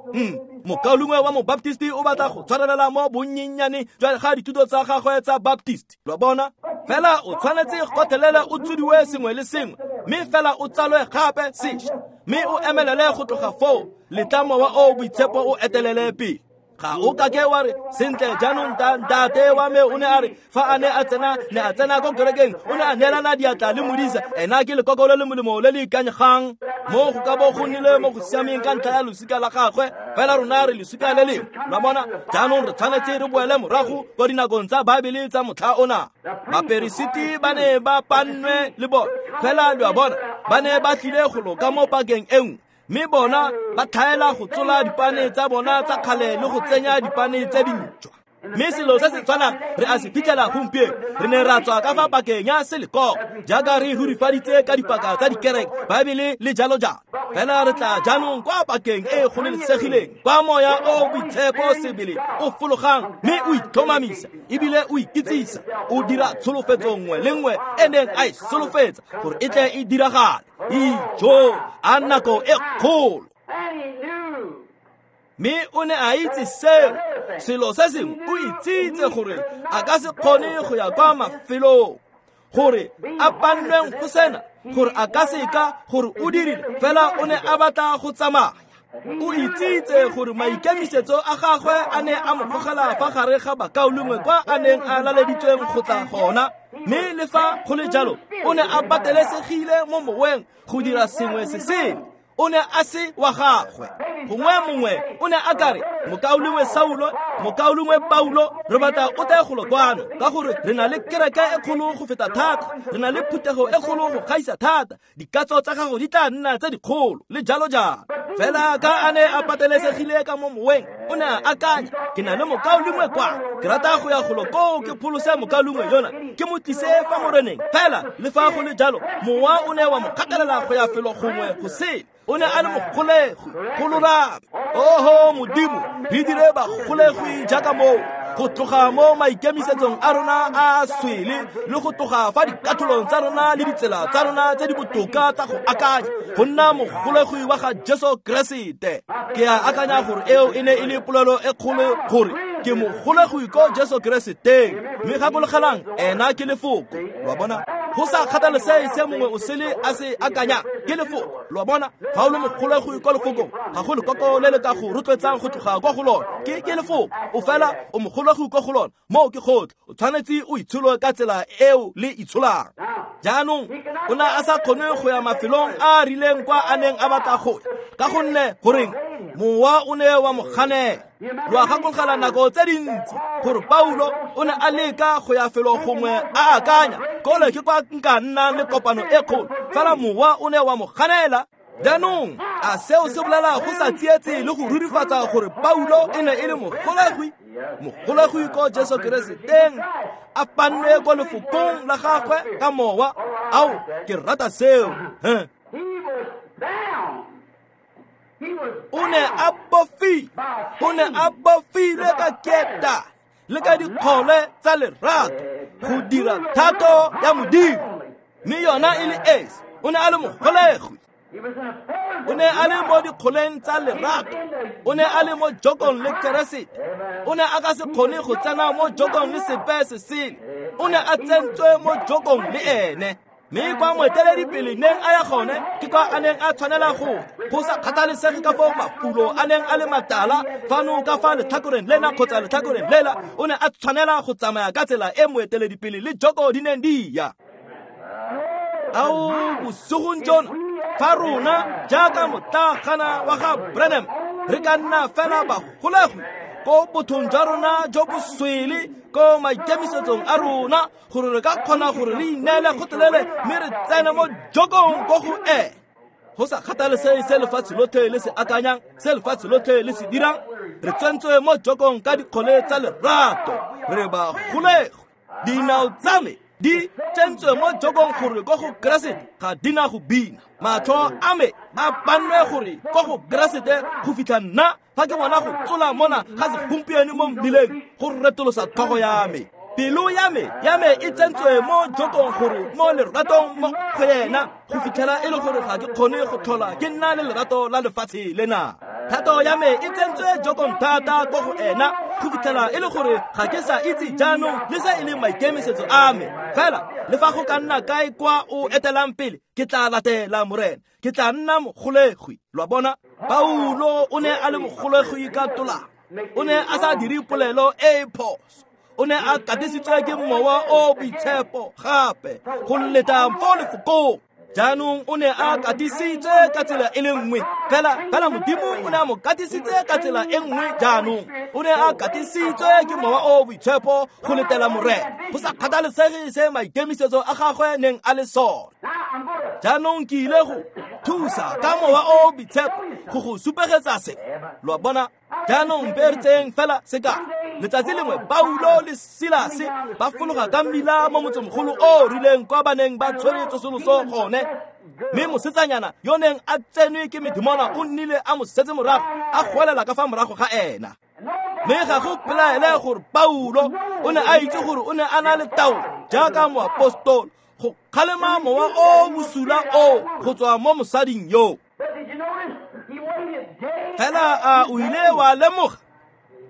Mokalengwe wa Mobaptist o batla go tshwarelela mo bonnyennyane jwa ga dithuto tsa gagwe tsa Baptist. Lo bona? Fela o tshwanetse gotlhelele o tsodiwe sengwe le sengwe, mme fela o tsalwe gape sešwa, mme o emelele go tloga foo, letla mowa o boitshepo o etelele pele. Ga o kake wa re sentle jaanong ntate wa me o ne a re fa a ne a tsena ne a tsena ko kerekeng o ne a neelana diatla le modisa, ena ke lekoko le le molemo le le ikanyegang mo go ka bo go nnile mo go siameng ka ntlha ya losika la gagwe, fela rona re losika le lengwe. Lwa bona? Jaanong re tshwanetse re boele morago ko dinakong tsa Baebele tsa motlha ona. Baperesiti ba ne ba pannwe le bona, fela lo a bona ba ne ba tlile go loka mo pakeng e nngwe, mme bona ba tlhaela go tsola dipane tsa bona tsa kgale le go tsenya dipane tse dintšhwa. Mme selo se se tshwanang re a se fitlhela gompieno. Re ne ra tswa ka fa pakeng ya selekoko jaaka re rurifaditse ka dipaka tsa dikereke, Baebele le jalo jalo. Fela re tla jaanong kwa pakeng e e gololesegileng, kwa moya o boitshepo sebele o fologang mme o itlhomamisa ebile o ikitsisa, o dira tsholofetso nngwe le nngwe e neng a e solofetsa gore e tle e diragale. Ijo a nako e kgolo. Mme o ne a itse seo. Selo se sengwe o itsitse gore a ka se kgone go ya kwa mafelong gore a pannweng go sena, gore a ka seka gore o dirile, fela o ne a batla go tsamaya. O itsitse gore maikemisetso a gagwe a ne a mo gogela fa gare ga bakaulengwe kwa a neng a laleditsweng go tla gona, mme le fa go le jalo o ne a patelesegile mo moweng go dira sengwe se sengwe. O ne a se wa gagwe. Gongwe mongwe o ne a ka re mokaulengwe Saulo, mokaulengwe Paulo, re batla o tle golo kwano ka gore re na le kereke e kgolo go feta thata, re na le phuthego e kgolo go gaisa thata, dikatso tsa gago di tla nna tse dikgolo le jalo jalo. Fela ka a ne a patelesegile ka mo moweng, o ne a akanya, ke na le mokaulengwe kwa, ke rata go ya golo koo ke pholose mokaulengwe yona, ke mo tlise fa moreneng. Fela le fa go le jalo mowa o ne wa mo kgatelela go ya felo gongwe go sele. O ne a le mogolegi go lolame. Oho Modimo, re dire bagolegwi jaaka moo, go tloga mo maikemisetsong a rona a swele le go tloga fa dikatholong tsa rona le ditsela tsa rona tse di botoka tsa go akanya, go nna mogolegwi wa ga Jesu Keresete. Ke a akanya gore eo e ne e le polelo e kgolo gore ke mogolegwi ko Jesu Kereseteng, mme gakologelang ena ke lefoko. Lo bona? Go sa kgathalesege se mongwe o sele a se akanya, ke lefoko. Lo bona? Fa o le mogolegwi ko lefokong, ga go lekoko le le ka go rotloetsang go tloga kwa go lona. Ke lefoko. O fela o mogolegwi ko go lona. Moo ke gotlhe. O tshwanetse o itshole ka tsela eo le itsholang. Jaanong o ne a sa kgone go ya mafelong a a rileng kwa a neng a batla go ya, ka gonne goreng mowa o ne wa mo ganela. Lo a gakologelwa nako tse dintsi gore Paulo o ne a leka go ya felo gongwe a akanya kole ke kwa nka nnang le kopano e kgolo, fela mowa o ne wa mo ganela. Jaanong a seo se bolela go sa tsietse le go rurifatsa gore Paulo e ne e le mogolegwi, mogolegwi ko Jesu Kereseteng, a pannwe ko lefokong la gagwe ka mowa. Ao, ke rata seo. O ne a bofile, o ne a bofilwe ka keta le ka dikgole tsa lerato go dira thato ya Modimo, mme yona e le esi. O ne a le mogolegwi, o ne a le mo dikgoleng tsa lerato, o ne a le mo jokong le Keresete. O ne a ka se kgone go tsena mo jokong le sepe se sele, o ne a tsentswe mo jokong le ene. Mme kwa moeteledipele neng a ya gone ke kwa a neng a tshwanela go sa kgathalesege ka foo mafulo a neng a le matala fano ka fa letlhakoreng lena kgotsa letlhakoreng lela, o ne a tshwanela go tsamaya ka tsela e moeteledipele le joko di neng di ya. Ao, bosigong jono fa rona jaaka motlagana wa ga Branham re ka nna fela bagolegwi ko bothong jwa rona jo bo swele ko maikemisetsong a rona, gore re ka kgona gore re ineele gotlhelele mme re tsene mo jokong ko go ene. Go sa kgathalesege se lefatshe lotlhe le se akanyang, se lefatshe lotlhe le se dirang, re tsentswe mo jokong ka dikgole tsa lerato, re bagolegwi. Dinao tsa me di tsentswe mo jokong gore ko go Keresete ga di na go bina. Matlho a me a pannwe gore ko go Keresete go fitlha nna fa ke bona go tsola mona ga segompieno mo mmileng go retolosa tlhogo ya me. Pelo ya me e tsentswe mo jokong gore mo leratong mo go yena go fitlhela e le gore ga ke kgone go tlhola ke nna le lerato la lefatshe lena. Thato ya me e tsentswe jokong thata ko go ena go fitlhela e le gore ga ke sa itse jaanong le se e leng maikemisetso a me. Fela le fa go ka nna kae kwa o etelang pele, ke tla latela Morena, ke tla nna mogolegwi. Lo a bona, Paulo o ne a le mogolegwi ka tolamo, o ne a sa dire polelo e e phoso, o ne a katisitswe ke mowa o boitshepo gape go leta fo lefokong. Jaanong o ne a katisitswe ka tsela e le nngwe fela Modimo o ne a mo katisitse ka tsela e nngwe. Jaanong o ne a katisitswe ke mowa o boitshepo go letela Morena, go sa kgathalesege se maikemisetso a gagwe neng a le sone. Jaanong ke ile go thusa ka mowa o boitshepo go go supegetsa se. Lo a bona, jaanong mpe re tseyeng fela sekao. Letsatsi lengwe Paulo le Silase ba fologa ka mmila mo motsemogolo o rileng kwa ba neng ba tshwere tsosoloso gone, mme mosetsanyana yo neng a tsenwe ke medimona o nnile a mo setse morago, a goelela ka fa morago ga ena. Mme ga go pelaele gore Paulo o ne a itse gore o ne a na le taolo jaaka moapostolo go kgalema mowa o bosula o go tswa mo mosading yo. Fela a o ile wa lemoga,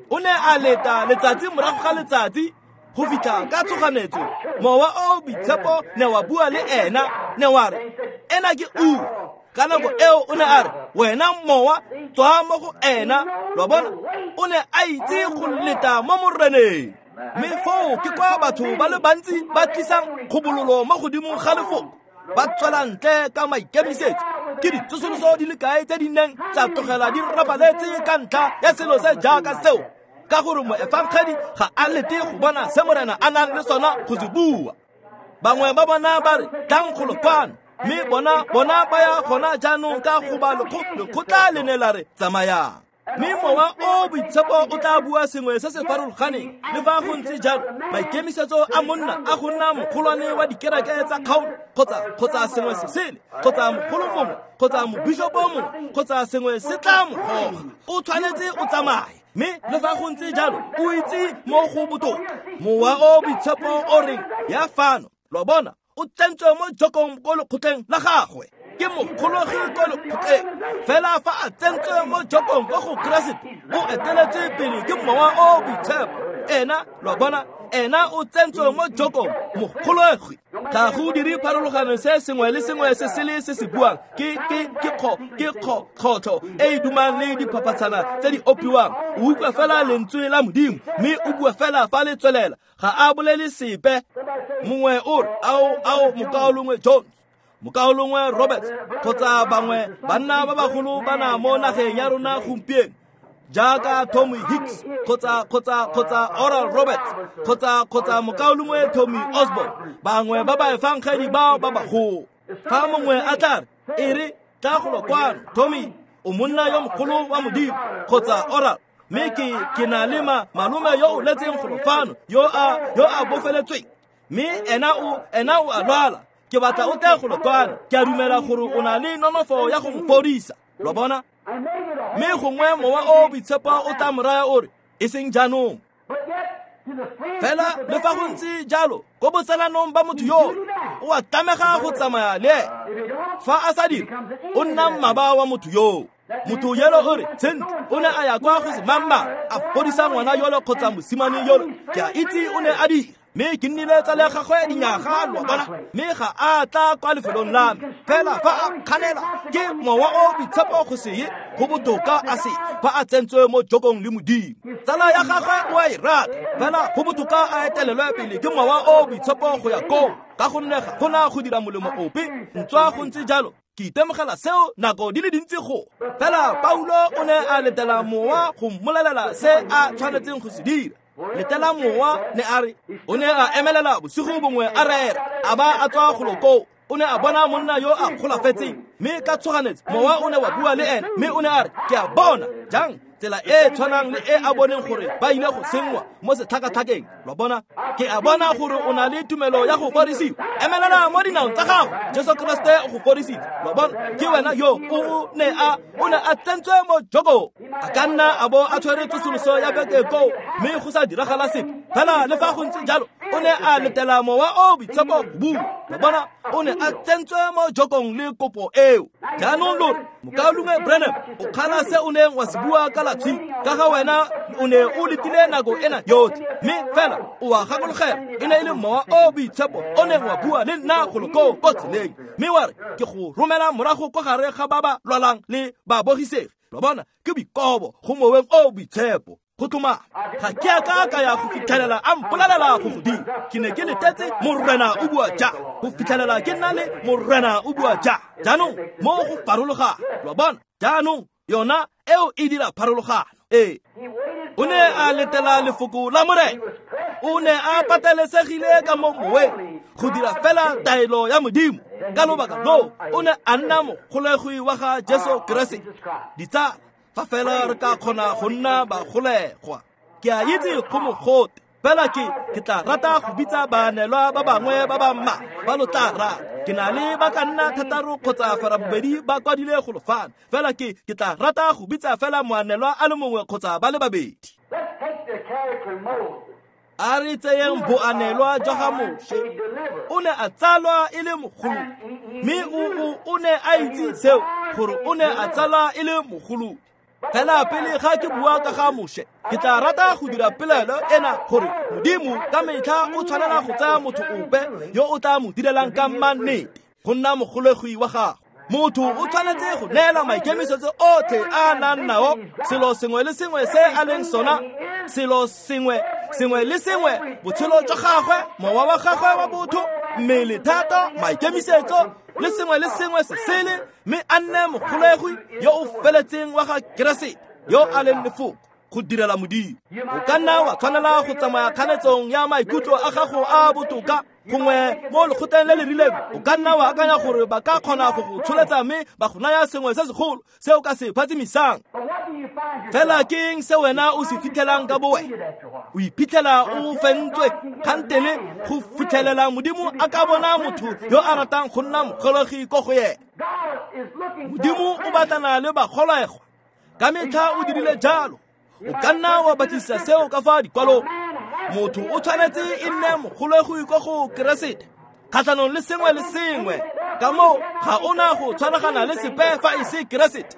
o ne a leta letsatsi morago ga letsatsi go fitlha ka tshoganetso mowa o boitshepo ne wa bua le ena, ne wa re ena ke ura. Ka nako eo o ne a re, wena mowa tswa mo go ena. Lo bona, o ne a itse go leta mo Moreneng. Mme foo ke kwa batho ba le bantsi ba tlisang kgobololo mo godimo ga lefoko, ba tswela ntle ka maikemisetso. Ke ditsosoloso di le kae tse di neng tsa tlogela di rapaletse ka ntlha ya selo se jaaka seo, ka gore moefangedi ga a lete go bona se Morena a nang le sona go se bua. Bangwe ba bona ba re tlang golo kwano, mme bona ba ya gona jaanong ka goba lekgotla le ne la re tsamayang. Mme mowa o boitshepo o tla bua sengwe se se farologaneng. Le fa go ntse jalo, maikemisetso a monna a go nna mogolwane wa dikereke tsa kgaolo kgotsa sengwe se sele, kgotsa mogolo mongwe, kgotsa mobishopo mongwe, kgotsa sengwe se tla mo goga, o tshwanetse o tsamaye. Mme le fa go ntse jalo, o itse mo go botoka. Mowa o boitshepo o reng ya fano, lo bona, o tsentswe mo jokong ko lekgotleng la gagwe, ke mogologi ko lekgotleng. Fela fa a tsentswe mo jokong ko go Keresete, o eteletse pele ke mowa o boitshepo. Ena, lo bona, ena o tsentswe mo jokong, mogologi. Ga go dire pharologano se sengwe le sengwe se sele se se buang ke kgotlho e e dumang le diphaphatshana tse di opiwang. O utlwa fela lentswe la Modimo, mme o bua fela fa le tswelela, ga a bolele sepe. Mongwe o re, ao mokaolongwe Jones, mokaolongwe Roberts, kgotsa bangwe banna ba bagolo ba na mo nageng ya rona gompieno, Jaaka Tommy Hicks kgotsa Oral Roberts kgotsa mokaulengwe Tommy Osborne, bangwe ba baefangedi bao ba bagolo. Fa mongwe a tla re, e re tla golo kwano, Tommy, o monna yo mogolo wa Modimo, kgotsa Oral, mme ke na le malome yo o letseng golo fano yo a bofeletsweng, mme ena o a lwala, ke batla o tle golo kwano, ke a dumela gore o na le nonofo ya go mo fodisa. Lo bona? Mme gongwe mowa o boitshepo o tla mo raya o re, e seng jaanong. Fela le fa go ntse jalo, ko botsalanong ba motho yo o a tlamega go tsamaya le ene. Fa a sa dire, o nna mmaba wa motho yoo. Motho yelo o re, sentle, o ne a ya kwa go semangmang, a fodisa ngwana yolo kgotsa mosimane yolo, ke a itse o ne a dira, mme ke nnile tsala ya gagwe dinyaga, lo bona, mme ga a tla kwa lefelong la me. Fela fa a kganela ke mowa o boitshepo go se ye, go botoka a se fa a tsentswe mo jokong le Modimo. Tsala ya gagwe o a e rata, fela go botoka a etelelwe pele ke mowa o boitshepo go ya koo, ka gonne ga gona go dira molemo ope. Ntswa go ntse jalo, ke itemogela seo nako di le dintsi go. Fela Paulo o ne a letela mowa go mmolelela se a tshwanetseng go se dira. Letela mowa, ne a re, o ne a emelela bosigo bongwe a rera, a ba a tswa golo koo. O ne a bona monna yo a golafetseng, mme ka tshoganetso mowa o ne wa bua le ene, mme o ne a re, ke a bona jang tsela e tshwanang le e a boneng gore ba ile go senngwa mo setlhakatlhakeng. Lo bona? Ke a bona gore o na le tumelo ya go fodisiwa. Emelela mo dinaong tsa gago, Jesu Kriste o go fodisitse. Lo bona? Ke wena yo o ne a tsentswe mo jokong. A ka nna a bo a tshwere tsosoloso ya beke koo, mme go sa diragala sepe. Fela le fa go ntse jalo, o ne a letela mowa o boitshepo go bua. Lo bona? O ne a tsentswe mo jokong le kopo eo. Jaanong lo re, mokaulengwe Branham, o kgala se o neng wa se bua ka la tshipi, ka ga wena o ne o letile nako ena yotlhe, mme fela o a gakologela, e ne e le mowa o boitshepo o neng wa bua le nna golo koo ko tseleng, mme wa re, ke go romela morago kwa gare ga ba ba lwalang le babogisegi. Lo bona? Ke boikobo go moweng o boitshepo. Go tlhomama, ga ke a ka ka ya go fitlhelela a mpolelela go go dira. Ke ne ke letetse Morena o bua ja, go fitlhelela ke nna le Morena o bua ja. Jaanong mo go farologana, lo bona? Jaanong yona eo e dira pharologano. Ee, o ne a letela lefoko la Morena. O ne a patelesegile ka mo moweng go dira fela taelo ya Modimo. Ka lobaka loo o ne a nna mogolegwi wa ga Jesu Keresete. Ditsala, fa fela re ka kgona go nna bagolegwa. Ke a itse go mogote, fela ke tla rata go bitsa baanelwa ba bangwe ba ba mma ba lo tla rata. Ke na le ba ka nna 6 kgotsa 8 ba kwadile golo fano, fela ke tla rata go bitsa fela moanelwa a le mongwe kgotsa ba le babedi. A re tseyeng boanelwa jwa ga Moshe. O ne a tsalwa e le mogolo, mme o ne a itse seo, gore o ne a tsalwa e le mogolo. Fela pele ga ke bua ka ga Moshe, ke tla rata go dira polelo ena gore Modimo ka metlha o tshwanela go tsaya motho ope yo o tla mo direlang ka mannete go nna mogolegwi wa gagwe. Motho o tshwanetse go neela maikemisetso otlhe a nang nao, selo sengwe le sengwe se a leng sona, selo sengwe le sengwe, botshelo jwa gagwe, mowa wa gagwe wa botho, mmele, thata, maikemisetso, le sengwe le sengwe se sele, mme a nne mogolegwi yo o feletseng wa ga Keresete, yo a leng lefoko, go direla Modimo. O ka nna wa tshwanela go tsamaya kganetsong ya maikutlo a gago a botoka, gongwe mo lekgotleng le le rileng. O ka nna wa akanya gore ba ka kgona go go tsholetsa mme ba go naya sengwe se segolo se o ka se phatsimisang. Fela ke eng se wena o se fitlhelang ka bowena? O iphitlhela o fentswe kgantele go fitlhelela Modimo a ka bona motho yo a ratang go nna mogolegi ko go yena. Modimo o batlana le bagolegwa, ka metlha o dirile jalo. O ka nna wa batlisisa seo ka fa dikwalong. Motho o tshwanetse e nne mogolegwi ko go Keresete, kgatlhanong le sengwe le sengwe. Ka moo ga o na go tshwaragana le sepe fa e se Keresete,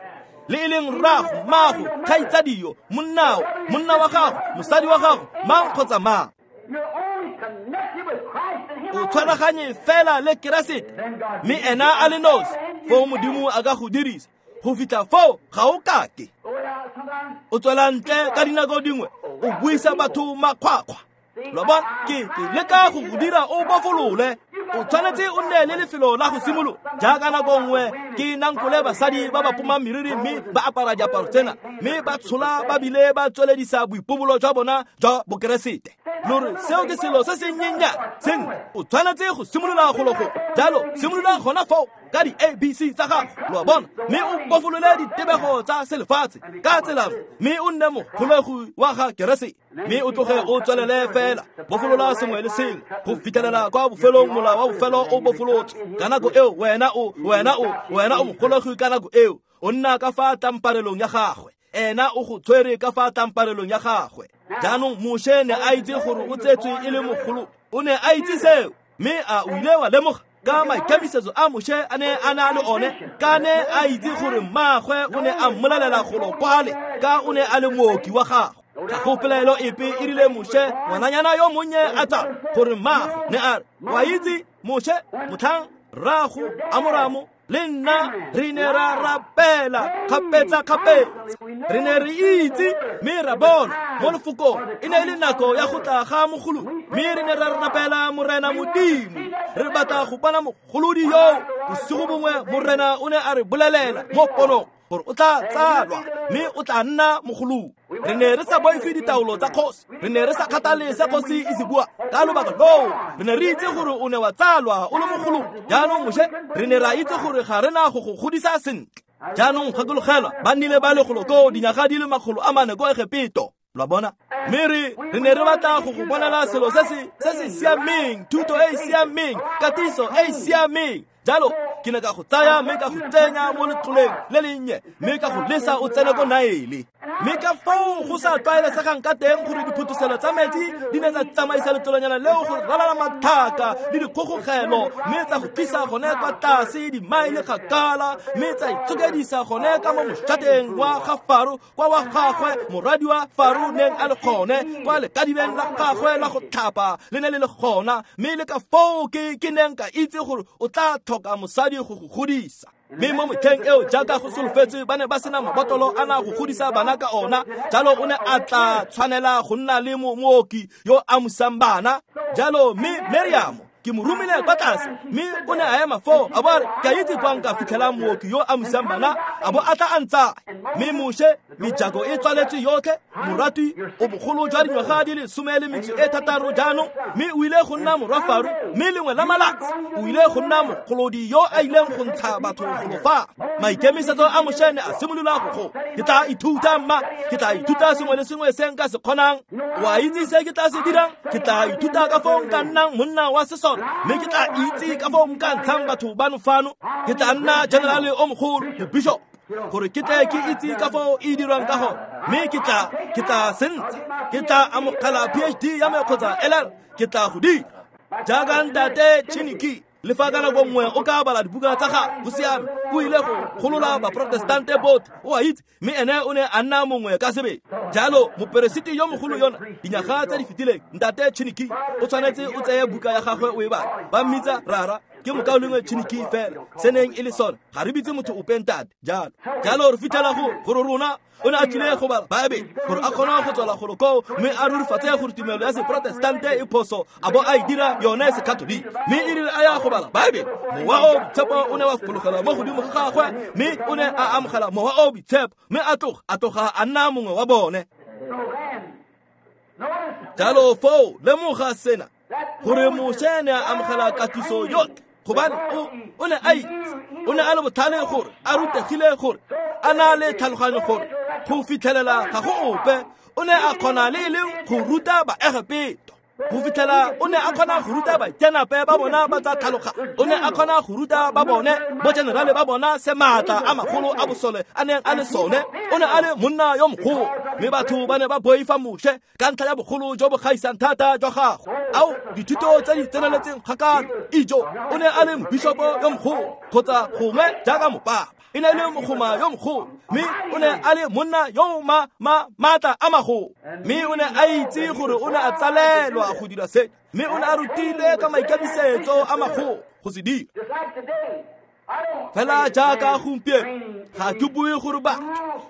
le e leng rrago, mmago, kgaitsadio, monnao, monna wa gago, mosadi wa gago, mang kgotsa mang. O tshwaraganye fela le Keresete, mme ena a le nosi, foo Modimo a ka go dirisa. Go fitlha foo ga o kake. O tswela ntle ka dinako dingwe, o buisa batho makgwakgwa. Lo bona? Ke leka go go dira o bofolole. O tshwanetse o nne le lefelo la go simolola. Jaaka nako nngwe ke nankole basadi ba ba poma meriri mme ba apara diaparo tsena, mme ba tshola ba bile ba tsweledisa boipobolo jwa bona jwa bokeresete. Lore seo ke selo se se nnyennyane sentle. O tshwanetse go simolola golo go jalo, simolola gona foo ka di-ABC tsa gago, lo a bona, mme o bofolole ditebego tsa selefatshe ka tsela, mme o nne mogolegi wa ga Keresete, mme o tloge o tswelele fela bofolola sengwe le sengwe go fitlhelela kwa bofelong mola wa bofelo o bofolotswe. Ka nako eo wena o mogolegi ka nako eo o nna ka fa tlamparelong ya gagwe, ena o go tshwere ka fa tlamparelong ya gagwe. Jaanong Moshe ne a itse gore o tsetswe e le mogolo, o ne a itse seo, mme a o ile wa lemoga ka maikemisetso a Moshe a ne a na le one, ka ne a itse gore mmaagwe o ne a mmolelela golo kwale ka o ne a le mooki wa gagwe. Ga go pelaelo epe e rile Moshe ngwananyana yo monnye a tsa gore mmaagwe ne a re, wa itse Moshe, motlhang rrago Amoramo le nna re ne ra rapela kgapetsa-kgapetsa, re ne re itse mme ra bona mo lefokong e ne e le nako ya go tla ga mogolodi, mme re ne ra rapela Morena Modimo, re batla go bona mogolodi yo. Bosigo bongwe Morena o ne a re bolelela mo ponong gore o tla tsalwa mme o tla nna mogolodi. Re ne re sa boife ditaolo tsa kgosi, re ne re sa kgathale se kgosi e se bua ka lobaka loo, re ne re itse gore o ne wa tsalwa o le mogolodi. Jaanong Moshe, re ne ra itse gore ga re na go go godisa sentle. Jaanong gakologelwa, ba nnile ba le golo koo dinyaga di le 400 ko Egepeto, lo a bona, mme re ne re batla go go bonela selo se se siameng, thuto e e siameng, katiso e e siameng. Jalo ke ne ka go tsaya mme ka go tsenya mo letloleng le lennye, mme ka go lesa o tsene ko Naele. Mme ka foo go sa tlwaelesegang ka teng gore diphuthuselo tsa metsi di ne tsa tsamaisa letlolonyana leo go ralala mathaka le dikgogogelo, mme tsa go tlisa gone kwa tlase dimaele kgakala, mme tsa itshokedisa gone ka mo mošateng wa ga Faro, kwa wa gagwe moradi wa Faro neng a le gone, kwa lekadibeng la gagwe la go tlhapa le ne le le gona. Mme le ka foo ke neng ka itse gore o tla tlhoka mosadi go go godisa. Mme mo motlheng eo jaaka go solofetswe ba ne ba sena mabotlolo a na go godisa bana ka ona, jalo o ne a tla tshwanela go nna le mooki yo a musang bana. Jalo mme Meriamo ke mo romile kwa tlase, mme o ne a ema foo a bo a re, ke a itse kwa nka fitlhelang mooki yo a musang bana, a bo a tla a ntsaya. Mme Moshe, mejako e tswaletswe yotlhe, moratwi o bogolo jwa dingwaga di le 16 jaanong, mme o ile go nna morwa Faro, mme lengwe la malatsi o ile go nna mogolodi yo a ileng go ntsha batho golo fa. Maikemisetso a Moshe ne a simolola go gola. Ke tla ithuta mma, ke tla ithuta sengwe le sengwe se nka se kgonang. Wa itse se ke tla se dirang? Ke tla ithuta ka foo nka nnang monna wa sesole, mme ke tla itse ka foo nka ntshang batho bano fano. Ke tla nna generale o mogolo, mobishop, gore ke tle ke itse ka foo e dirwang ka gone, mme ke tla sentsha, ke tla amogela PhD ya me kgotsa LL, ke tla go dira jaaka ntate Chiniki. Le fa ka nako nngwe o ka bala dibuka tsa gagwe, go siame, o ile go golola baprotestante botlhe, o a itse, mme ene o ne a nna mongwe ka sebele. Jalo moperesiti yo mogolo yona dinyaga tse di fetileng, ntate Chiniki, o tshwanetse o tseye buka ya gagwe o e bale. Ba mmitsa rara, ke mokaulengwe Chiniki fela, se neng e le sone, ga re bitse motho ope ntate. Jalo jalo re fitlhela gore rona o ne a tlile go bala Baebele gore a kgone go tswela golo koo, mme a rurifatse gore tumelo ya seprotestante e phoso, a bo a e dira yone sekatoliki. Mme e rile a ya go bala Baebele, mowa o boitshepo o ne wa fologela mo godimo ga gagwe, mme o ne a amogela mowa o boitshepo, mme a tloga a nna mongwe wa bone. Jalo foo lemoga sena, gore Moshe ne a amogela katiso yotlhe, gobane o ne a itse, o ne a le botlhale gore a rutegile, gore a na le tlhaloganyo, gore go fitlhelela ga go ope o ne a kgona le e leng go ruta Baegepeto. Go fitlhela o ne a kgona go ruta baitseanape ba bona ba tsa tlhaloganyo, o ne a kgona go ruta ba bone bo generale ba bona se maatla a magolo a bosole a neng a le sone. O ne a le monna yo mogolo, mme batho ba ne ba boifa Moshe ka ntlha ya bogolo jo bo gaisang thata jwa gagwe. Ao dithuto tse di tseneletseng kgakala, ijo o ne a le mobishopo yo mogolo kgotsa gongwe jaaka mopapa, e ne e le mogoma yo mogolo, mme o ne a le monna yo maatla a magolo. Mme o ne a itse gore o ne a tsalelwa go dira se, mme o ne a rutile ka maikemisetso a magolo go se dira. Fela jaaka gompieno ga ke bue gore batho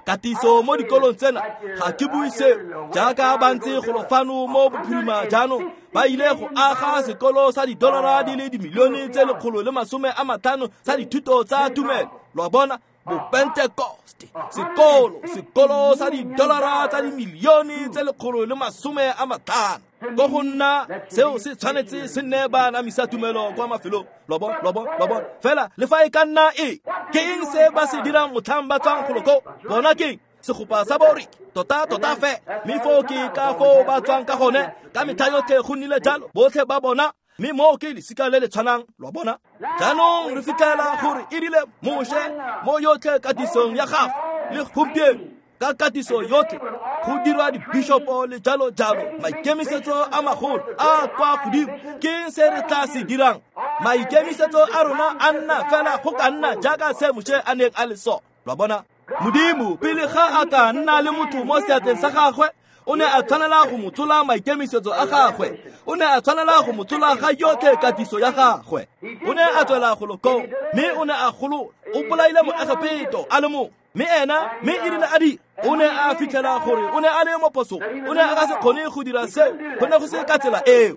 katiso mo dikolong tsena ga ke bue seo jaaka ba ntse golo fano mo bophirima jaanong ba ile go aga sekolo sa didolara di le dimilione tse 150 sa dithuto tsa tumelo. Lo a bona bopentekoste sekolo sa didolara tsa dimilione tse 150 ko go nna seo se tshwanetse se nne ba namisa tumelo kwa mafelong. Lo bona fela le fa e ka nna e ke eng se ba se dirang motlhang ba tswang golo ko bona ke segopa sa boriki tota fe mme foo ke ka foo ba tswang ka gone ka metlha yotlhe go nnile jalo botlhe ba bona mme moo ke lesika le le tshwanang. Lo bona jaanong re fitlhela gore e rile Moshe mo yotlhe katisong ya gagwe le gompieno ka katiso yotlhe go dirwa dibishopo le jalo jalo maikemisetso a magolo a kwa godimo ke se re tla se dirang. Maikemisetso a rona a nna fela go ka nna jaaka se Moshe a neng a le sone. Lo bona Modimo pele ga a ka nna le motho mo seatleng sa gagwe o ne a tshwanela go mo tsola maikemisetso a gagwe, o ne a tshwanela go mo tsola ga yotlhe katiso ya gagwe. O ne a tswela golo koo mme o ne a golola o bolaile moegepeto a le mongwe mme ena mme e rile a dira o ne a fitlhela gore o ne a le mo phosong, o ne a ka se kgone go dira seo, go ne go se ka tsela eo.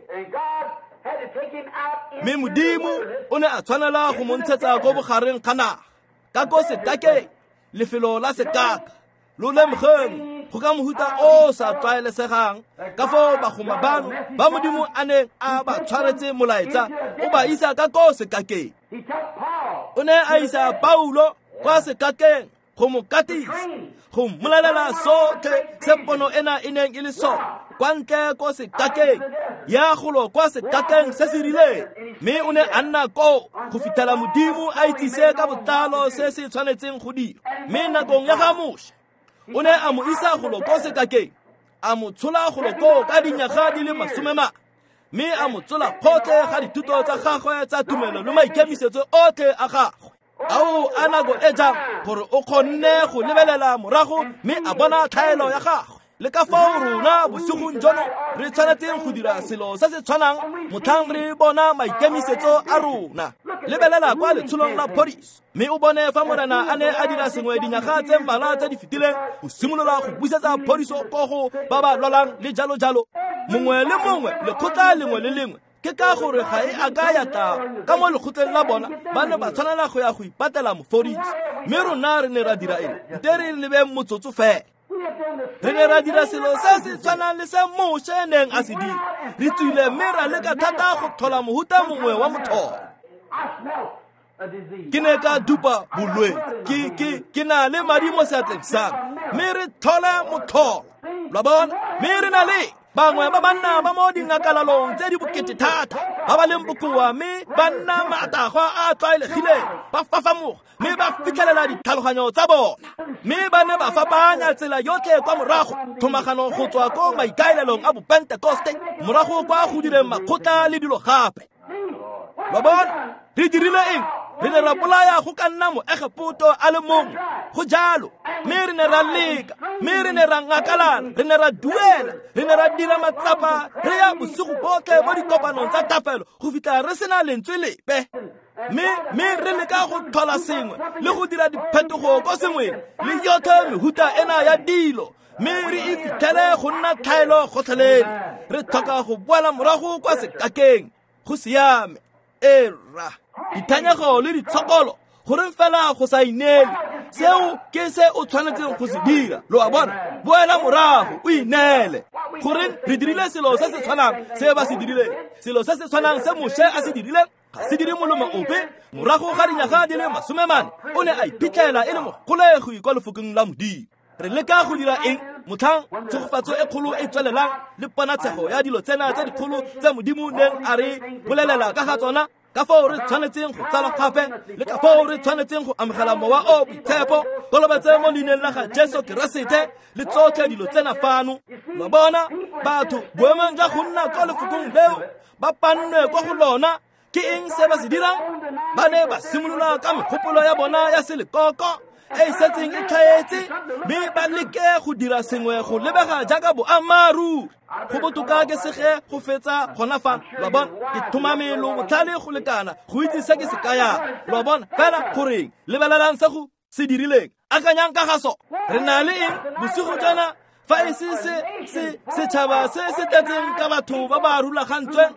Mme Modimo o ne a tshwanela go mo ntshetsa ko bogareng ga naga ka ko sekakeng lefelo la sekaka lo lemogeng go ka mohuta o sa tlwaelesegang ka foo bagoma bano ba Modimo a neng a ba tshwaretse molaetsa o ba isa ka ko sekakeng. O ne a isa Paulo kwa sekakeng go mo katisa go mmolelela sotlhe se pono ena e neng e le sone kwa ntle ko sekakeng ya golo kwa sekakeng se se rileng mme o ne a nna koo go fitlhela Modimo a itsise ka botlalo se se tshwanetseng go dira. Mme nakong ya ga Moshe o ne a mo isa golo ko sekakeng a mo tshola golo koo ka dinyaga di le 40 mme a mo tsola kgotlhe ga dithuto tsa gagwe tsa tumelo le maikemisetso otlhe a gagwe. Ao a nako e jang gore o kgonne go lebelela morago mme a bona tlhaelo ya gagwe le ka fao rona bosigong jono re tshwanetseng go dira selo se se tshwanang motlhang re bona maikemisetso a rona. Lebelela kwa letsholong la phodiso mme o bone fa Morena a ne a dira sengwe dinyaga tse mmalwa tse di fetileng go simolola go busetsa phodiso ko go ba ba lwalang le jalo jalo. Mongwe le mongwe lekgotla lengwe le lengwe ke ka gore ga e a ka ya tla ka mo lekgotleng la bona ba ne ba tshwanela go ya go ipatela mofodisi mme rona re ne ra dira eng? Nte re lebeng motsotso fela. Re ne ra dira selo se se tshwanang le se Moshe neng a se dira. Re tswile mme ra leka thata go tlhola mohuta mongwe wa motlholo. Ke ne ka dupa bolwetse ke na le madi mo seatleng sa me mme re tlhole motlholo. Lo bona mme re na le bangwe ba banna ba mo dingakalalong tse di bokete thata ba ba leng bokoa mme ba nna matagwa a tlwaelegileng ba fafamoga mme ba fitlhelela ditlhaloganyo tsa bona mme ba ne ba fapanya tsela yotlhe kwa morago tlhomagano go tswa ko maikaelelong a bopentekoste morago kwa go direng makgotla le dilo gape. Lo bona re dirile eng? Re ne ra bolaya go ka nna moegepoto a le mongwe go jalo mme re ne ra leka mme re ne ra ngakalala re ne ra duela re ne ra dira matsapa re ya bosigo botlhe mo dikopanong tsa thapelo go fitlha re sena lentswe lepe mme re leka go tlhola sengwe le go dira diphetogo ko sengweng le yotlhe mehuta ena ya dilo mme re e fitlhele go nna tlhaelo gotlhelele. Re tlhoka go boela morago kwa sekakeng go siame. Era dithanyego le ditshokolo gore fela go sa ineele seo ke se o tshwanetseng go se dira. Lo a bona boela morago o ineele. Goreng re dirile selo se se tshwanang se ba se dirileng, selo se se tshwanang se Moshe a se dirileng ga se dire molomo ope. Morago ga dinyaga di le 40 o ne a iphitlhela e le mogolegi kwa lefokong la Modimo. Re leka go dira eng motlhang tshegofatso e kgolo e tswelelang le ponatshego ya dilo tsena tse dikgolo tse Modimo neng a re bolelela ka ga tsona ka foo re tshwanetseng go tsala gape le ka foo re tshwanetseng go amogela mowa o boitshepo kolobetse mo leineng la ga Jesu Keresete le tsotlhe dilo tsena fano. Lo bona batho boemong jwa go nna kwa lefokong leo ba pannwe kwa go lona ke eng se ba se dirang? Ba ne ba simolola ka megopolo ya bona ya selekoko e e setseng e tlhaetse, mme ba leke go dira sengwe go lebega jaaka boammaaruri. Go botoka ke sege go fetsa gona fa, lo bona, ke thomame lo botlhale go lekana go itse se ke se kayang, lo bona. Fela goreng lebelelang se go se dirileng, akanyang ka ga so. Re na le eng bosigo jana fa e se setšhaba se se tletseng ka batho ba ba rulagantsweng,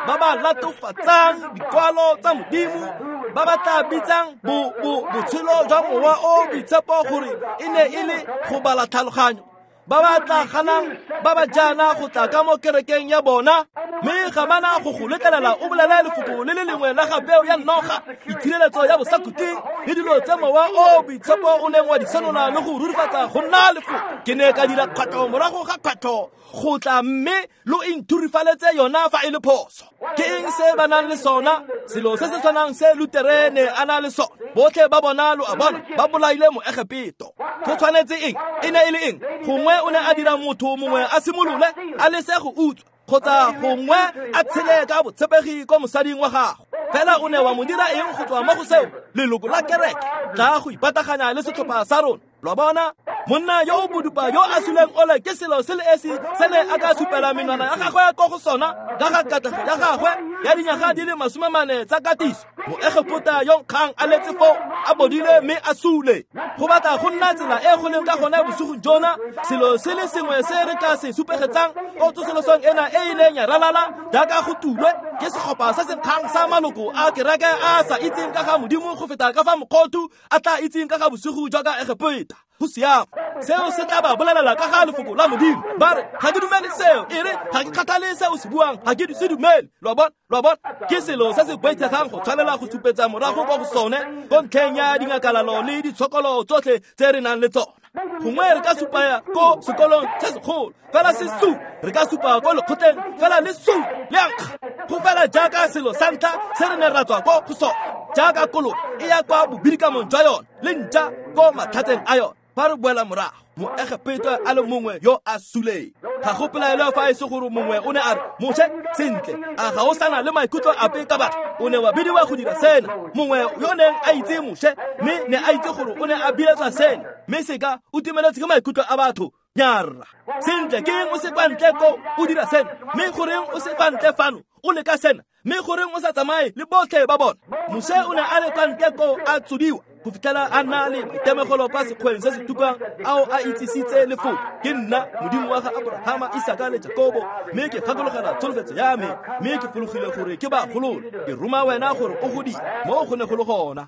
ba ba latofatsang dikwalo tsa Modimo, ba ba tla bitsang botshelo jwa mowa o boitshepo gore e ne e le go bala tlhaloganyo, ba ba tla ganang ba ba jaana go tla ka mo kerekeng ya bona, mme ga bana go go letlelela o bolele lefoko le le lengwe la ga peo ya noga, itshireletso ya bosakhutleng le dilo tse mowa o boitshepo o neng wa di senola le go rurifatsa go nna lefoko. Ke ne ka dira kgwetlho morago ga kgwetlho go tla, mme lo inthurifaletse yona fa e le phoso. Ke eng se ba nang le sona? Selo se se tshwanang se Lutere ne a na le sona. Botlhe ba bona, lo a bona, ba bolaile Moegepeto. Go tshwanetse eng? E ne e le eng? Gongwe o ne a dira motho mongwe a simolole a lese go utswa, kgotsa gongwe a tshele ka botshepegi ko mosading wa gagwe. Fela o ne wa mo dira eng go tswa mo go seo? Leloko la kereke tla go ipataganya le setlhopha sa rona. Lo bona, monna yo o bodupa yo a suleng ole ke selo se le esi se ne a ka supela menwana ya gagwe ko go sona ka ga katlego ya gagwe ya dinyaga di le 40 tsa katiso. Moegepota yo nkgang a letse foo a bodile mme a sule. Go batla go nna tsela e go leng ka gone bosigong jona. Selo se le sengwe se re ka se supegetsang ko tsosolosong ena e e neng ya ralala jaaka go tulwe ke segopa se se nkgang sa maloko a kereke a sa itseng ka ga Modimo go feta ka fa mokgothu a tla itseng ka ga bosigo jwa ka Egepeta. Go siame, seo se tla ba bolelela ka ga lefoko la Modimo. Ba re, ga ke dumele seo. E re, ga ke kgathale se o se buang, ga ke se dumele. Lo bona, lo bona, ke selo se se boitshegang go tshwanela go supetsa morago kwa go sone ko ntlheng ya dingakalalo le ditshokolo tsotlhe tse re nang le tsona. Gongwe re ka supa ko sekolong se segolo, fela se su, re ka supa ko lekgotleng, fela le su le ankga. Go fela jaaka selo sa ntlha se re ne ra tswa ko go sone, jaaka kolo e ya kwa bobirikamong jwa yone le ntša ko matlhatseng a yone. Fa re boela morago, Moegepeto a le mongwe yo a suleng. Ga go pelaelo fa e se gore mongwe o ne a re, Moshe, sentle, a ga o sana le maikutlo ape ka batho? O ne wa bidiwa go dira sena. Mongwe yo neng a itse Moshe, mme ne a itse gore o ne a biletswa sena, mme seka o timeletse ke maikutlo a batho. Nyarra. Sentle, ke eng o se kwa ntle ko o dira sena? Mme goreng o se kwa ntle fano o leka sena? Mme goreng o sa tsamaye le botlhe ba bona? Moshe o ne a le kwa ntle ko a tsodiwa go fitlhela a nna le maitemogelo kwa sekgweng se se tukang ao a itsisitse lefoko. Ke nna Modimo wa ga Abrahama, Isaka le Jakobo, mme ke gakologela tsholofetso ya me, mme ke fologile gore ke ba golole. Ke roma wena gore o go dire mo go ne go le gona.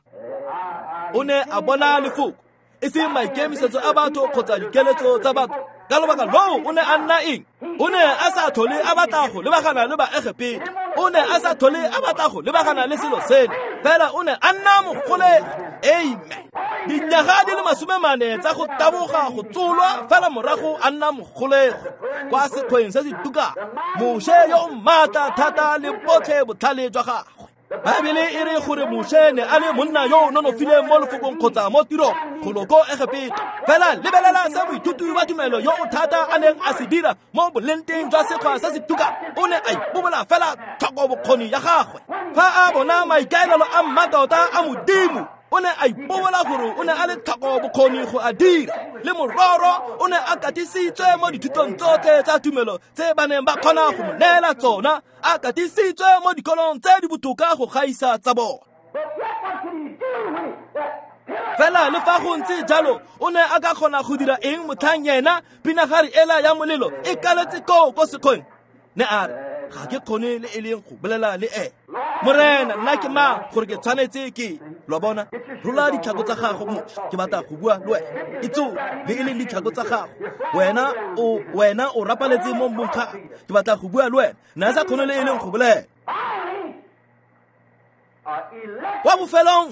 O ne a bona lefoko, e seng maikemisetso a batho kgotsa dikeletso tsa batho. Ka lobaka loo o ne a nna eng? O ne a sa tlhole a batla go lebagana le Baegepeto. O ne a sa tlhole a batla go lebagana le selo seno. Fela o ne a nna mogolegi. Amen. Dinyaga di le 40 tsa go taboga go tsolwa, fela morago a nna mogolegi kwa sekgweng se se tukang. Moshe yo o maatla thata le botlhe botlhale jwa gagwe. Baebele e re gore Moshe ne a le monna yo o nonofileng mo lefokong kgotsa mo tirong golo ko Egepeto. Fela lebelela se moithuti wa tumelo yo o thata a neng a se dira mo bolenteng jwa sekgwa se se tukang. O ne a ipobola fela tlhoko bokgoni ya gagwe. Fa a bona maikaelelo a mmatota a Modimo, o ne a ipobola gore o ne a le tlhoko bokgoni go a dira. Le mororo o ne a katisitswe mo dithutong tsotlhe tsa tumelo tse ba neng ba kgona go mo neela tsona, a katisitswe mo dikolong tse di botoka go gaisa tsa bona. Fela le fa go ntse jalo, o ne a ka kgona go dira eng motlhang yena pinagare ela ya molelo e kaletse koo ko sekgweng? Ne a re, ga ke kgone le e leng go bolela le ene. Morena, nna ke mang gore ke tshwanetse ke? Lo bona, rola ditlhako tsa gago, Moshe, ke batla go bua le wena. Itso le e leng ditlhako tsa gago. Wena o rapaletse mo mmung ga. Ke batla go bua le wena. Ne a sa kgone le e leng go bolela. Kwa bofelong,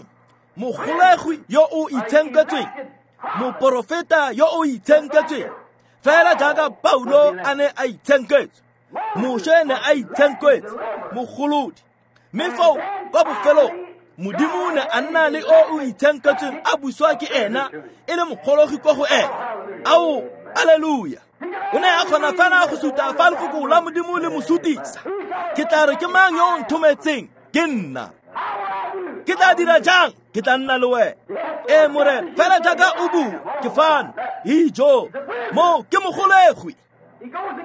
mogolegwi yo o itshenketsweng, moporofeta yo o itshenketsweng, fela jaaka Paulo a ne a itshenketswe, Moshe ne a itshenketse, mogolodi. Mme foo kwa bofelong, Modimo ne a nna le o o itshenketsweng a buswa ke ena e le mogologi kwa go ena. Ao, alleluia. O ne a kgona fela go suta fa lefoko la Modimo le mo sutisa. Ke tla re ke mang yo o nthometseng? Ke nna. Ke tla dira jang? Ke tla nna le wena. Ee Morena, fela jaaka o bua, ke fano. Ijo, mo ke mogolegwi.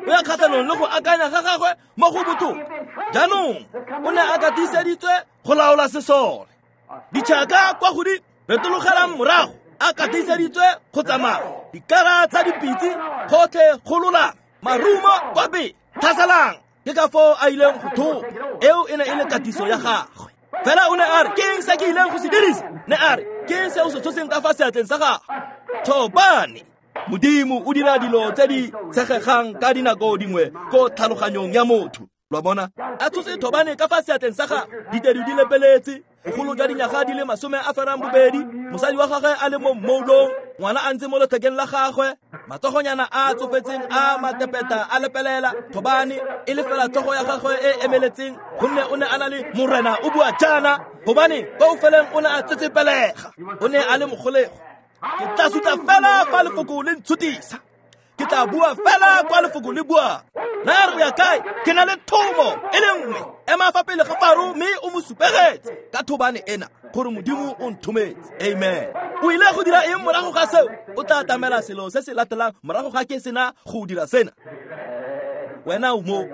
O ya kgatlhanong le go akanya ga gagwe mo go botlhoko. Jaanong o ne a katiseditswe go laola sesole. Ditšhaka kwa go di retologelang morago, a katiseditswe go tsamaya. Dikara tsa dipitse gotlhe gololang, marumo kwa pele, tlhaselang. Ke ka foo a ileng go thopa. Eo e ne e le katiso ya gagwe. Fela o ne a re, ke eng se ke ileng go se dirisa? Ne a re, ke eng se o se tshoseng ka fa seatleng sa gago? Thobane. Modimo o dira dilo tse di tshegegang ka dinako dingwe ko tlhaloganyong ya motho. Lo a bona? A tshotse thobane ka fa seatleng sa gagwe, ditedu di lepeletse, bogolo jwa dinyaga di le 28, mosadi wa gagwe a le mo mmoulong, ngwana a ntse mo lethekeng la gagwe, matsogonyana a tsofetseng a matepeta a lepelela, thobane e le fela tlhogo ya gagwe e emeletseng, gonne o ne a na le Morena o bua jaana, gobane kwa bofelong o ne a tsetsepelega. O ne a le mogolego. Ke tla sutla fela fa lefoko le ntshutisa. Ke tla bua fela kwa lefoko le buang. Na re o ya kae? Ke na le thomo e le nngwe. Ema fa pele ga Faro mme o mo supegetse ka thobane ena gore Modimo o nthometse. Amen. O ile go dira eng morago ga seo? O tla atamela selo se se latelang morago ga ke sena go dira sena. Wena o mo.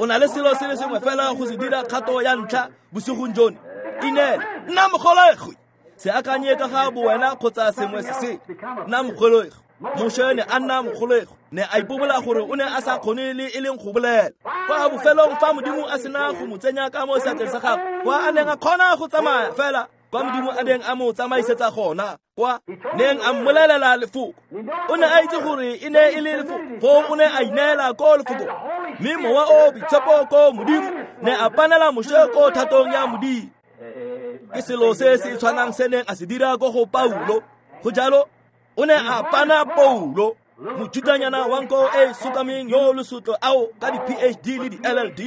O na le selo se le sengwe fela go se dira kgato ya ntlha bosigong jono. Ineele. Nna mogolegwi. Se akanye ka ga bowena kgotsa sengwe se se. Nna mogolegwi. Moshe ne a nna mogolegwi. Ne a ipobola gore o ne a sa kgone le e leng go bolela. Kwa bofelong fa Modimo a sena go mo tsenya ka mo seatleng sa gagwe, kwa a neng a kgona go tsamaya fela kwa Modimo a neng a mo tsamaisetsa gona, kwa neng a mmolelela lefoko. O ne a itse gore e ne e le lefoko, foo o ne a ineela ko lefokong. Mme Mowa o Boitshepo ko Modimo ne a panela Moshe ko thatong ya Modimo. Ke selo se se tshwanang se neng a se dira ko go Paulo. Go jalo, o ne a pana Paulo, mothutanyana wa nko e sokameng yo lesotlo ao ka di-PhD le di-LLD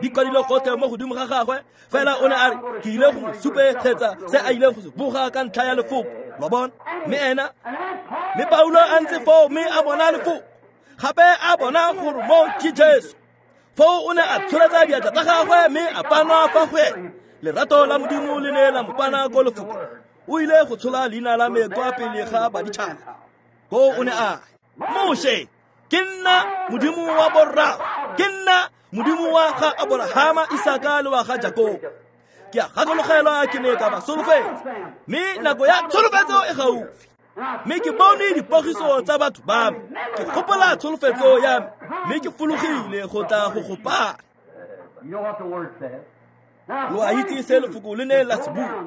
di kwadile gotlhe mo godimo ga gagwe. Fela o ne a re, ke ile go mo supegetsa se a ileng go se boga ka ntlha ya lefoko. Lo bona? Mme ena, mme Paulo a ntse foo mme a bona lefoko. Gape a bona gore mo ke Jesu. Foo o ne a tsholetsa diatla tsa gagwe mme a panwa fa go ene. Lerato la Modimo le ne la mo pana ko lefoko. O ile go tshola leina la me kwa pele ga baditšhaba. Ko o ne a re, Moshe, ke nna Modimo wa borrago, ke nna Modimo wa ga Aborahama, Isaka le wa ga Jakobo. Ke a gakologelwa ke ne ka ba solofetsa, mme nako ya tsholofetso e gaufi. Mme ke bone dipogiso tsa batho ba me, ke gopola tsholofetso ya me, mme ke fologile go tla go gopana. Lo a itse se lefoko le ne la se bua.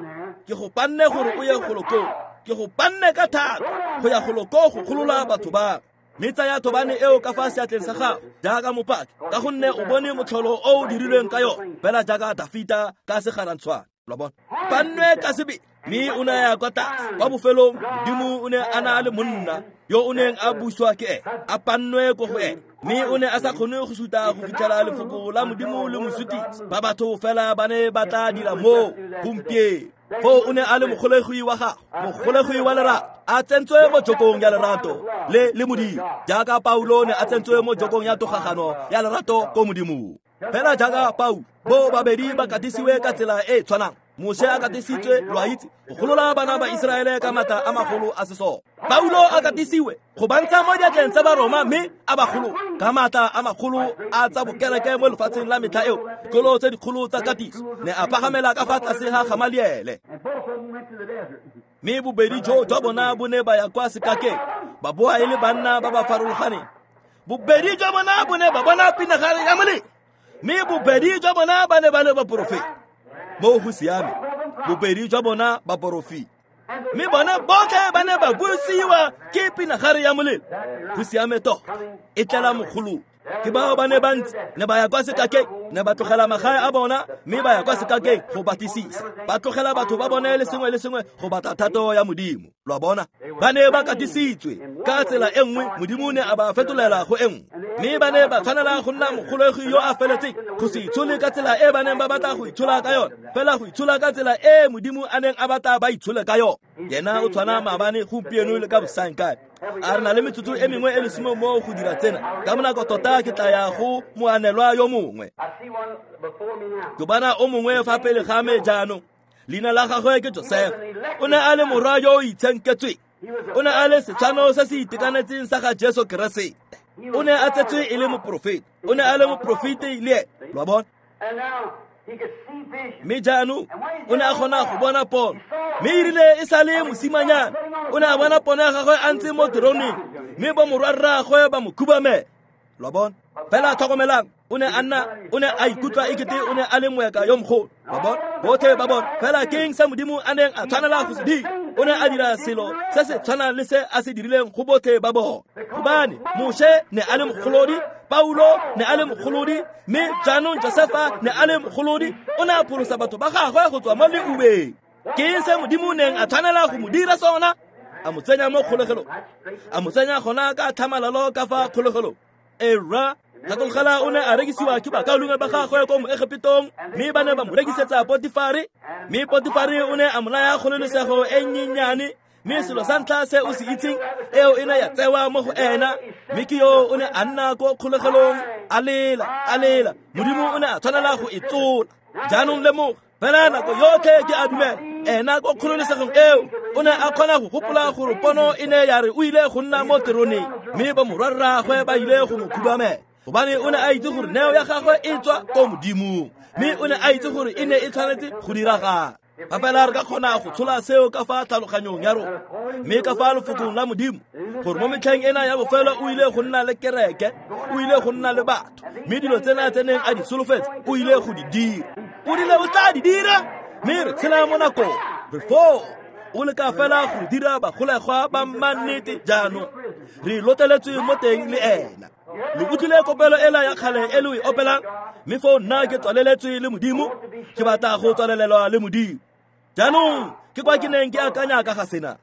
Ke go panne gore o ye golo koo. Ke go panne ka thata go ya golo koo go golola batho ba. Mme tsaya thobane eo ka fa seatleng sa gago jaaka mopaki, ka gonne o bone motlholo o o dirilweng ka yone, fela jaaka Dafita ka segarantshwane. Lo bona? Pannwe ka sebele. Mme o ne a ya kwa tlase. Kwa bofelong, Modimo o ne a na le monna yo o neng a buswa ke ene, a pannwe ko go ene. Mme o ne a sa kgone go suta go fitlhela lefoko la Modimo le mo sutisa. Ba batho fela ba ne ba tla dira moo gompieno. Foo o ne a le mogolegwi wa gagwe, mogolegwi wa lerato, a tsentswe mo jokong ya lerato le le Modimo, jaaka Paulo ne a tsentswe mo jokong ya togagano ya lerato ko Modimong. Fela jaaka Paulo, bo babedi ba katisiwe ka tsela e e tshwanang. Moshe a katisitswe, lo a itse, go golola bana ba Iseraele ka maatla a magolo a sesole. Paulo a katisiwe go ba ntsha mo diatleng tsa Baroma mme a ba golola ka maatla a magolo a tsa bokereke mo lefatsheng la metlha eo. Dikolo tse dikgolo tsa katiso ne a pagamela ka fa tlase ga Gamaliele. Mme bobedi jo jwa bona bo ne ba ya kwa sekakeng, ba boa e le banna ba ba farologaneng. Bobedi jwa bona bo ne ba bona pinagare ya molelo, mme bobedi jwa bona ba ne ba le baporofeti. Mo go siame, bobedi jwa bona baporofeti. Mme bona botlhe ba ne ba busiwa ke pinagare ya molelo. Go siame tota, e tlela mogolong. Ke bao ba ne ba ntse, ne ba ya kwa sekakeng, ne ba tlogela magae a bona mme ba ya kwa sekakeng go batlisisa. Ba tlogela batho ba bone le sengwe le sengwe go batla thato ya Modimo. Lo a bona? Ba ne ba katisitswe ka tsela e nngwe, Modimo ne a ba fetolela go e nngwe. Mme ba ne ba tshwanela go nna mogolegi yo a feletseng, go se itshole ka tsela e ba neng ba batla go itshola ka yone, fela go itshola ka tsela e Modimo a neng a batla ba itshole ka yone. Yena o tshwana maabane, gompieno le ka bosaengkae. A re na le metsotso e mengwe e lesome mo go dira tsena. Ka bonako tota ke tla ya go moanelwa yo mongwe. Ke bona o mongwe fa pele ga me jaanong. Leina la gagwe ke Josefa. O ne a le morwa yo o itshenketsweng. O ne a le setshwano se se itekanetseng sa ga Jesu Keresete. O ne a tsetswe e le moporofeta. O ne a le moporofeti le ene. Lo a bona? Mme jaanong o ne a kgona go bona pono. Mme erile e sa le mosimanyana, o ne a bona pono ya gagwe a ntse mo teroneng, mme bomorwarraagwe ba mo khubamela. Lo a bona? Fela tlhokomelang, o ne a nna, o ne a ikutlwa ekete o ne a le moeka yo mogolo. Lo a bona? Botlhe ba bona. Fela ke eng se Modimo a neng a tshwanela go se dira? O ne a dira selo se se tshwanang le se a se dirileng go botlhe ba bona. Gobane Moshe ne a le mogolodi, Paulo ne a le mogolodi, mme jaanong Josefa ne a le mogolodi. O ne a pholosa batho ba gagwe go tswa mo leubeng. Ke eng se Modimo neng a tshwanela go mo dira sona? A mo tsenya mo kgolegelong. A mo tsenya gona ka tlhamalalo ka fa kgolegelong. Era gakologela o ne a rekisiwa ke bakaulengwe ba gagwe ko Moegepetong, mme ba ne ba mo rekisetsa Potifare, mme Potifare o ne a mo naya kgololesego e nnyenyane. Mme selo sa ntlha se o se itseng, eo e ne ya tsewa mo go ena, mme ke yo o ne a nna ko kgolegelong a lela, a lela. Modimo o ne a tshwanela go e tsola. Jaanong lemoga, fela nako yotlhe ke a dumela ena ko kgololesegong eo o ne a kgona go gopola gore pono e ne ya re o ile go nna mo teroneng, mme bomorwarraagwe ba ile go mo khubamela, gobane o ne a itse gore neo ya gagwe e tswa ko Modimong, mme o ne a itse gore e ne e tshwanetse go diragala. Fa fela re ka kgona go tshola seo ka fa tlhaloganyong ya rona, mme ka fa lefokong la Modimo, gore mo metlheng ena ya bofelo o ile go nna le kereke, o ile go nna le batho, mme dilo tsena tse neng a di solofetse o ile go di dira. O rile o tla di dira, mme re tshela mo nakong. Re foo. O leka fela go dira bagolegwa ba mannete jaanong. Re loteletswe mo teng le ena. Lo utlwile kopelo ela ya kgale e lo e opelang, mme foo nna ke tswaleletswe le Modimo, ke batla go tswalelelwa le Modimo. Jaanong ke kwa ke neng ke akanya ka ga sena,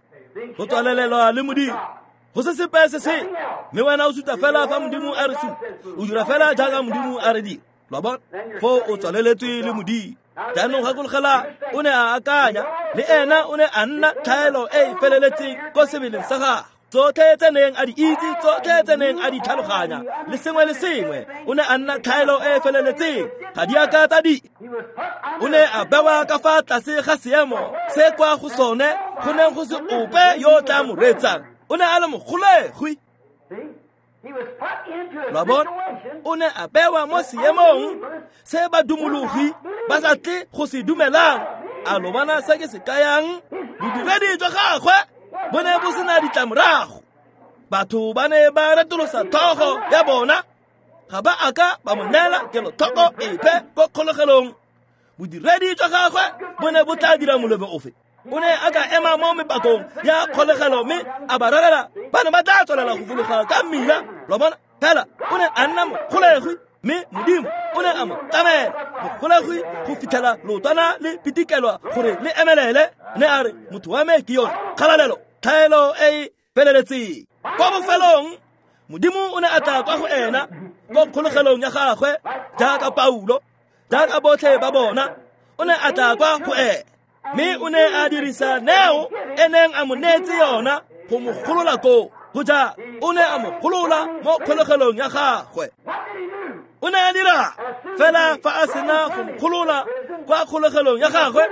go tswalelelwa le Modimo. Go se sepe se se, mme wena o suta fela fa Modimo a re suta, o dira fela jaaka Modimo a re dira. Lo a bona? Foo o tswaleletswe le Modimo. Jaanong gakologela, o ne a akanya, le ena o ne a nna tlhaelo e e feleletseng ko sebeleng sa gagwe. Tsotlhe tse neng a di itse, tsotlhe tse neng a di tlhaloganya, le sengwe le sengwe, o ne a nna tlhaelo e e feleletseng. Ga di a ka tsa di. O ne a bewa ka fa tlase ga seemo se kwa go sone go neng go se ope yo o tla mo reetsang. O ne a le mogolegwi. Lo a bona? O ne a bewa mo seemong se badumologi ba sa tle go se dumelang. A lo bona se ke se kayang? Bodiredi jwa gagwe bo ne bo sena ditlamorago. Batho ba ne ba retolosa tlhogo ya bona, ga ba a ka ba mo neela kelotlhoko epe ko kgolegelong. Bodiredi jwa gagwe bo ne bo tla dira molebo ofe? O ne a ka ema mo mepakong ya kgolegelo mme a ba rerela, ba ne ba tla tswelela go fologa ka mmila. Lo bona? Fela o ne a nna mogolegwi, mme Modimo o ne a mo tlamela mogolegwi go fitlhela leotwana le pitikelwa gore le emelele. Ne a re, motho wa me ke yone kgalalelo, tlhaelo e e feleletseng. Kwa bofelong Modimo o ne a tla kwa go ena ko kgolegelong ya gagwe, jaaka Paulo, jaaka botlhe ba bona. O ne a tla kwa go ena, mme o ne a dirisa neo e neng a mo neetse yona go mo golola koo. Go ja, o ne a mo golola mo kgolegelong ya gagwe. O ne a dira fela fa a sena go mo golola kwa kgolegelong ya gagwe,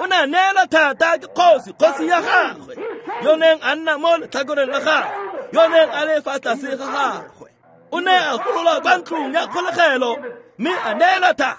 o ne a neela thata ke kgosi, kgosi ya gagwe, yo neng a nna mo letlhakoreng la gagwe, yo neng a le fa tlase ga gagwe. O ne a golola kwa ntlong ya kgolegelo mme a neela thata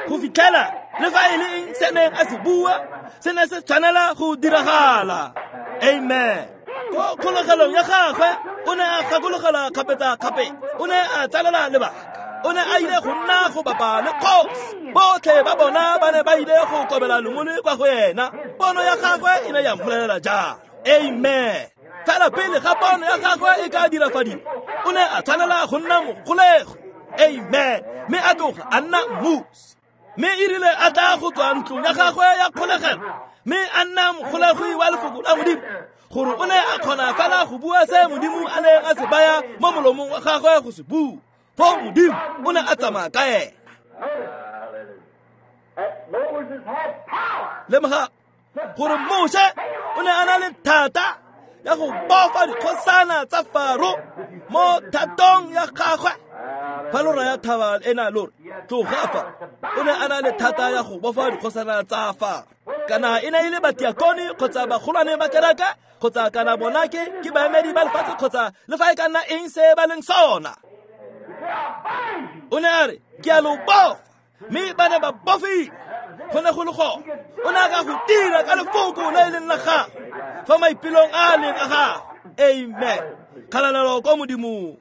go fitlhela le fa e le eng se neng a se bua se ne se tshwanela go diragala. Amen. Ko kgolegelong ya gagwe o ne a gakologelwa kgapetsa-kgapetsa. O ne a tsalela lebaka. O ne a ile go nna go bapa le kgosi. Botlhe ba bona ba ne ba ile go kobela lengole kwa go ena. Pono ya gagwe e ne ya mmolelela jalo. Amen. Fela pele ga pono ya gagwe e ka dirafadiwa, o ne a tshwanela go nna mogolego. Amen. Mme a tloga a nna mmusi. Mme e rile a tla go tswa ntlong ya gagwe ya kgolegelo, mme a nna mogolegwi wa lefoko la Modimo, gore o ne a kgona fela go bua se Modimo a neng a se baya mo molomong wa gagwe go se bua. Foo Modimo o ne a tsamaya ka ena. Lemoga gore Moshe o ne a na le thata ya go bofa dikgosana tsa Faro mo thatong ya gagwe. Fa lo raya thaba ena lo re tloga fa, o ne a na le thata ya go bofa dikgosana tsa fa. Kana e ne e le batiakone kgotsa bagolwane ba kereke kgotsa kana bona ke baemedi ba lefatshe kgotsa le fa e ka nna eng se ba leng sona. O ne a re ke a lo bofa, mme ba ne ba bofile. Go ne go le gone. O ne a ka go dira ka lefoko le e leng la gagwe fa maipelong a leng a gagwe. Amen. Kgalalelo ko Modimong.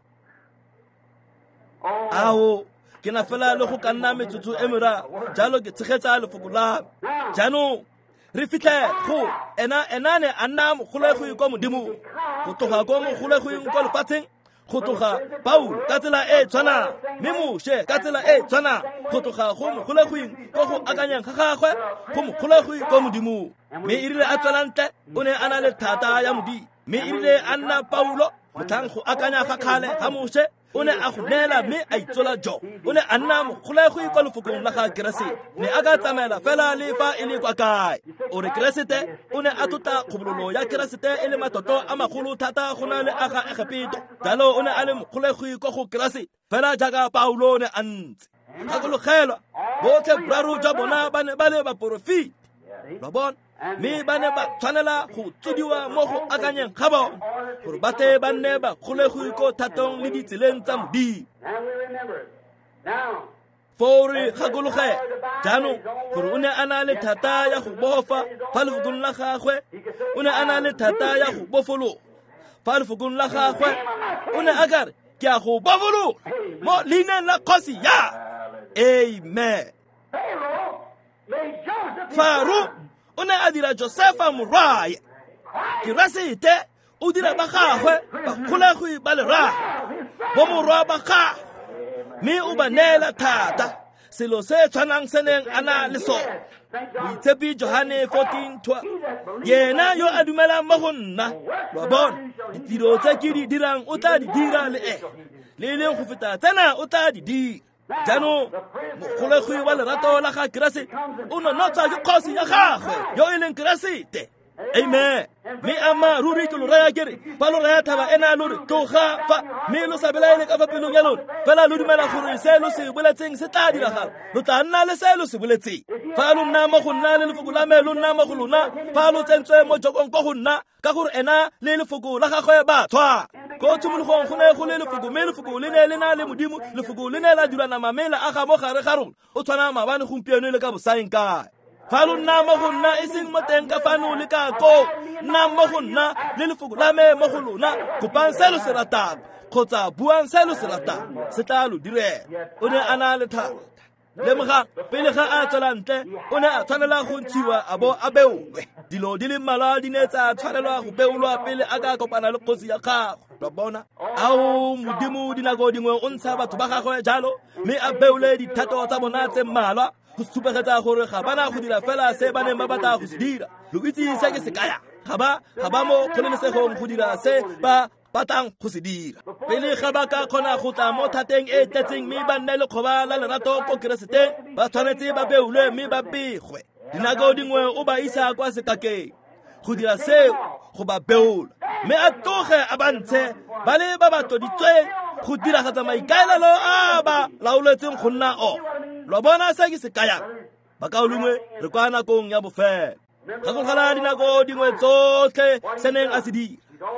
Ao, ke na fela le go ka nna metsotso e meraro, jalo ke tshegetsa lefoko la me. Jaanong re fitlhe go ena ne a nna mogolegwi kwa Modimong, go tloga ko mogolegwing kwa lefatsheng, go tloga Paulo ka tsela e tshwanang, mme Moshe ka tsela e tshwanang, go tloga go mogolegwing ko go akanyang ga gagwe, go mogolegwi ko Modimong. Mme e rile a tswela ntle, o ne a na le thata ya Modimo. Mme e rile a nna Paulo, motlhang go akanya ga kgale ga Moshe, o ne a go neela mme a itsola jo. O ne a nna mogolegwi kwa lefokong la ga Keresete. Ne a ka tsamaela fela le fa e le kwa kae. O re Keresete o ne a tlotla kgobololo ya Keresete e le matlotlo a magolo thata go na le a ga Egepeto. Jalo o ne a le mogolegwi kwa go Keresete, fela jaaka Paulo o ne a ntse. Gakologelwa, botlhe boraro jwa bona ba ne ba le baporofeti. Lo bona? Mme ba ne ba tshwanela go tsodiwa mo go akanyeng ga bona gore ba tle ba nne bagolegwi ko thatong le ditseleng tsa Modimo. Foo re gakologela jaanong gore o ne a na le thata ya go bofa fa lefokong la gagwe, o ne a na le thata ya go bofologa fa lefokong la gagwe. O ne a ka re ke a go bofologa mo leineng la kgosi ya. Amen. Faro o ne a dira Josefa morwae. Keresete o dira ba gagwe bagolegwi ba lerato, bo morwa ba gagwe, mme o ba neela thata, selo se tshwanang se neng a na le sone. Moitshepi Johane 14:12, yena yo a dumelang mo go nna, lo a bona, ditiro tse ke di dirang o tla di dira le ene, le e leng go feta tsena o tla di dira. Jaanong mogolegwi wa lerato la ga Keresete o nonotswa ke kgosi ya gagwe yo e leng Keresete. Amen. Mme ama ruri ke lo raya ke re, fa lo raya thaba ena lo re tloga fa, mme lo sa belaele ka fa pelong ya lona, fela lo dumela gore se lo se boletseng se tla diragala, lo tla nna le se lo se boletseng. Fa lo nna mo go nna le lefoko la me lo nna mo go lona, fa lo tsentswe mo jokong ko go nna, ka gore ena le lefoko la gagwe ba tshwana. Ko tshimologong go ne go le lefoko, mme lefoko le ne le na le Modimo, lefoko le ne la dira nama mme la aga mo gare ga rona. O tshwana maabane, gompieno le ka bosaeng kae. Fa lo nna mo go nna, e seng mo teng ka fano le ka koo, nna mo go nna le lefoko la me mo go lona, kopang se lo se ratang kgotsa buang se lo se ratang, se tla lo direla. O ne a na le thata. Lemogang, pele ga a tswela ntle, o ne a tshwanela go ntshiwa a bo a beolwe. Dilo di le mmalwa di ne tsa tshwanelwa go beolwa pele a ka kopana le kgosi ya gagwe. Lo bona? Ao, Modimo dinako dingwe o ntsha batho ba gagwe jalo, mme a beole dithato tsa bona tse mmalwa go supegetsa gore ga bana go dira fela se ba neng ba batla go se dira. Lo itse se ke se kaya? Ga ba mo kgololesegong go dira se ba batlang go se dira. Pele ga ba ka kgona go tla mo thateng e tletseng mme ba nne lekgoba la lerato ko Kereseteng, ba tshwanetse ba beolwe mme ba begwe. Dinako dingwe o ba isa kwa sekakeng go dira seo, go ba beola, mme a tloge a ba ntshe ba le ba ba tloditsweng go diragatsa maikaelelo a ba laoletseng go nna ona. Lo bona se ke se kayang? Bakaulengwe, re kwa nakong ya bofelo. Gakologelwa dinako dingwe tsotlhe se neng a se dira.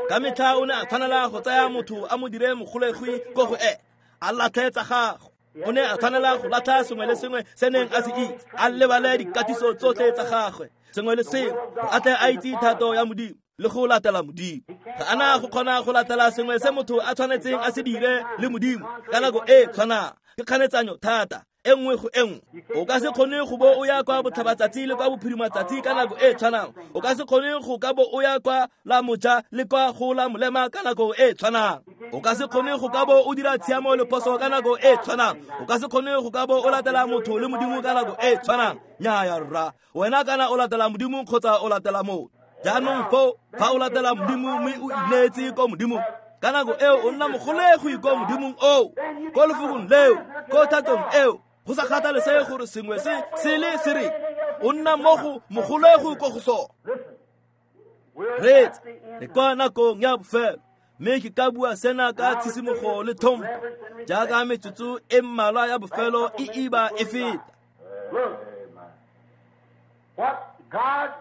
Ka metlha o ne a tshwanela go tsaya motho a mo dire mogolegwi ko go ene, a latlhe tsa gagwe. O ne a tshwanela go latlha sengwe le sengwe se neng a se itse, a lebale dikatiso tsotlhe tsa gagwe, sengwe le sengwe, a tle a itse thato ya Modimo le go latela Modimo. Ga ana go kgona go latela sengwe se motho a tshwanetseng a se dire le Modimo ka nako e tshwanang. Ke kganetsanyo thata e nngwe go e nngwe. O ka se kgone go bo o ya kwa botlhabatsatsi le kwa bophirimatsatsi ka nako e tshwanang. O ka se kgone go ka bo o ya kwa la moja le kwa go la molema ka nako e tshwanang. O ka se kgone go ka bo o dira tshiamo le phoso ka nako e tshwanang. O ka se kgone go ka bo o latela motho le Modimo ka nako e tshwanang. Nnyaya rra, wena kana o latela Modimo kgotsa o latela motho. Jaanong foo, fa o latela Modimo mme o ineetse ko Modimong, ka nako eo o nna mogolegwi ko Modimong oo, ko lefokong leo, ko thatong eo, go sa kgathalesege gore sengwe se se le se reng, o nna mo go mogolegwi ko go sone. Reetsa, re kwa nakong ya bofelo, mme ke ka bua sena ka tshisimogo le tlhompho. Jaaka metsotso e mmalwa ya bofelo e iba e feta.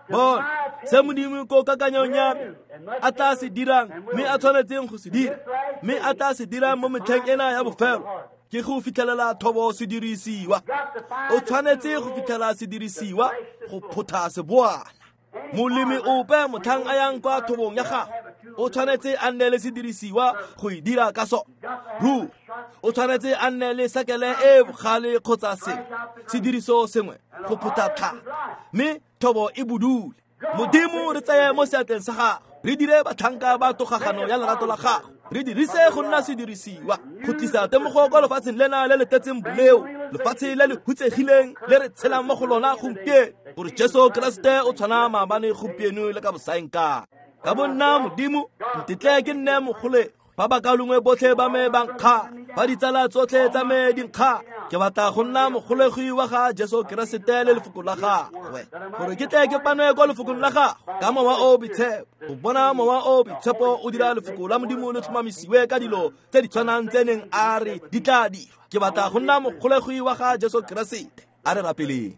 Bona se Modimo ko kakanyong ya me a tla se dirang mme a tshwanetseng go se dira mme a tla se dirang mo metlheng ena ya bofelo ke go fitlhelela thobo sedirisiwa. O tshwanetse go fitlhela sedirisiwa go photha seboana. Molemi ope motlhang a yang kwa thobong ya gagwe o tshwanetse a nne le sedirisiwa go e dira ka sone. Ruri o tshwanetse a nne le sekele e bogale kgotsa sengwe sediriso sengwe go photha tlhaka mme thobo e budule. Modimo re tseye mo seatleng sa gago, re dire batlhanka ba togagano ya lerato la gago, re dirise go nna sedirisiwa go tlisa temogo kwa lefatsheng lena le le tletseng boleo, lefatshe le le hutsegileng le re tshelang mo go lona gompieno, gore Jesu Keresete o tshwana maabane gompieno le ka bosaengkae. Ka bo nna Modimo, ntetle ke nne mogolego fa bakalongwe botlhe ba me ba nkga, fa ditsala tsotlhe tsa me di nkga, ke batla go nna mogolegi wa ga Jesu Keresete le lefoko la gagwe, gore ke tle ke panwe kwa lefokong la gagwe ka mowa o boitshepo, go bona mowa o boitshepo o dira lefoko la Modimo le tlhomamisiwe ka dilo tse di tshwanang tse neng a re di tla dirwa. Ke batla go nna mogolegi wa ga Jesu Keresete. A re rapeleng.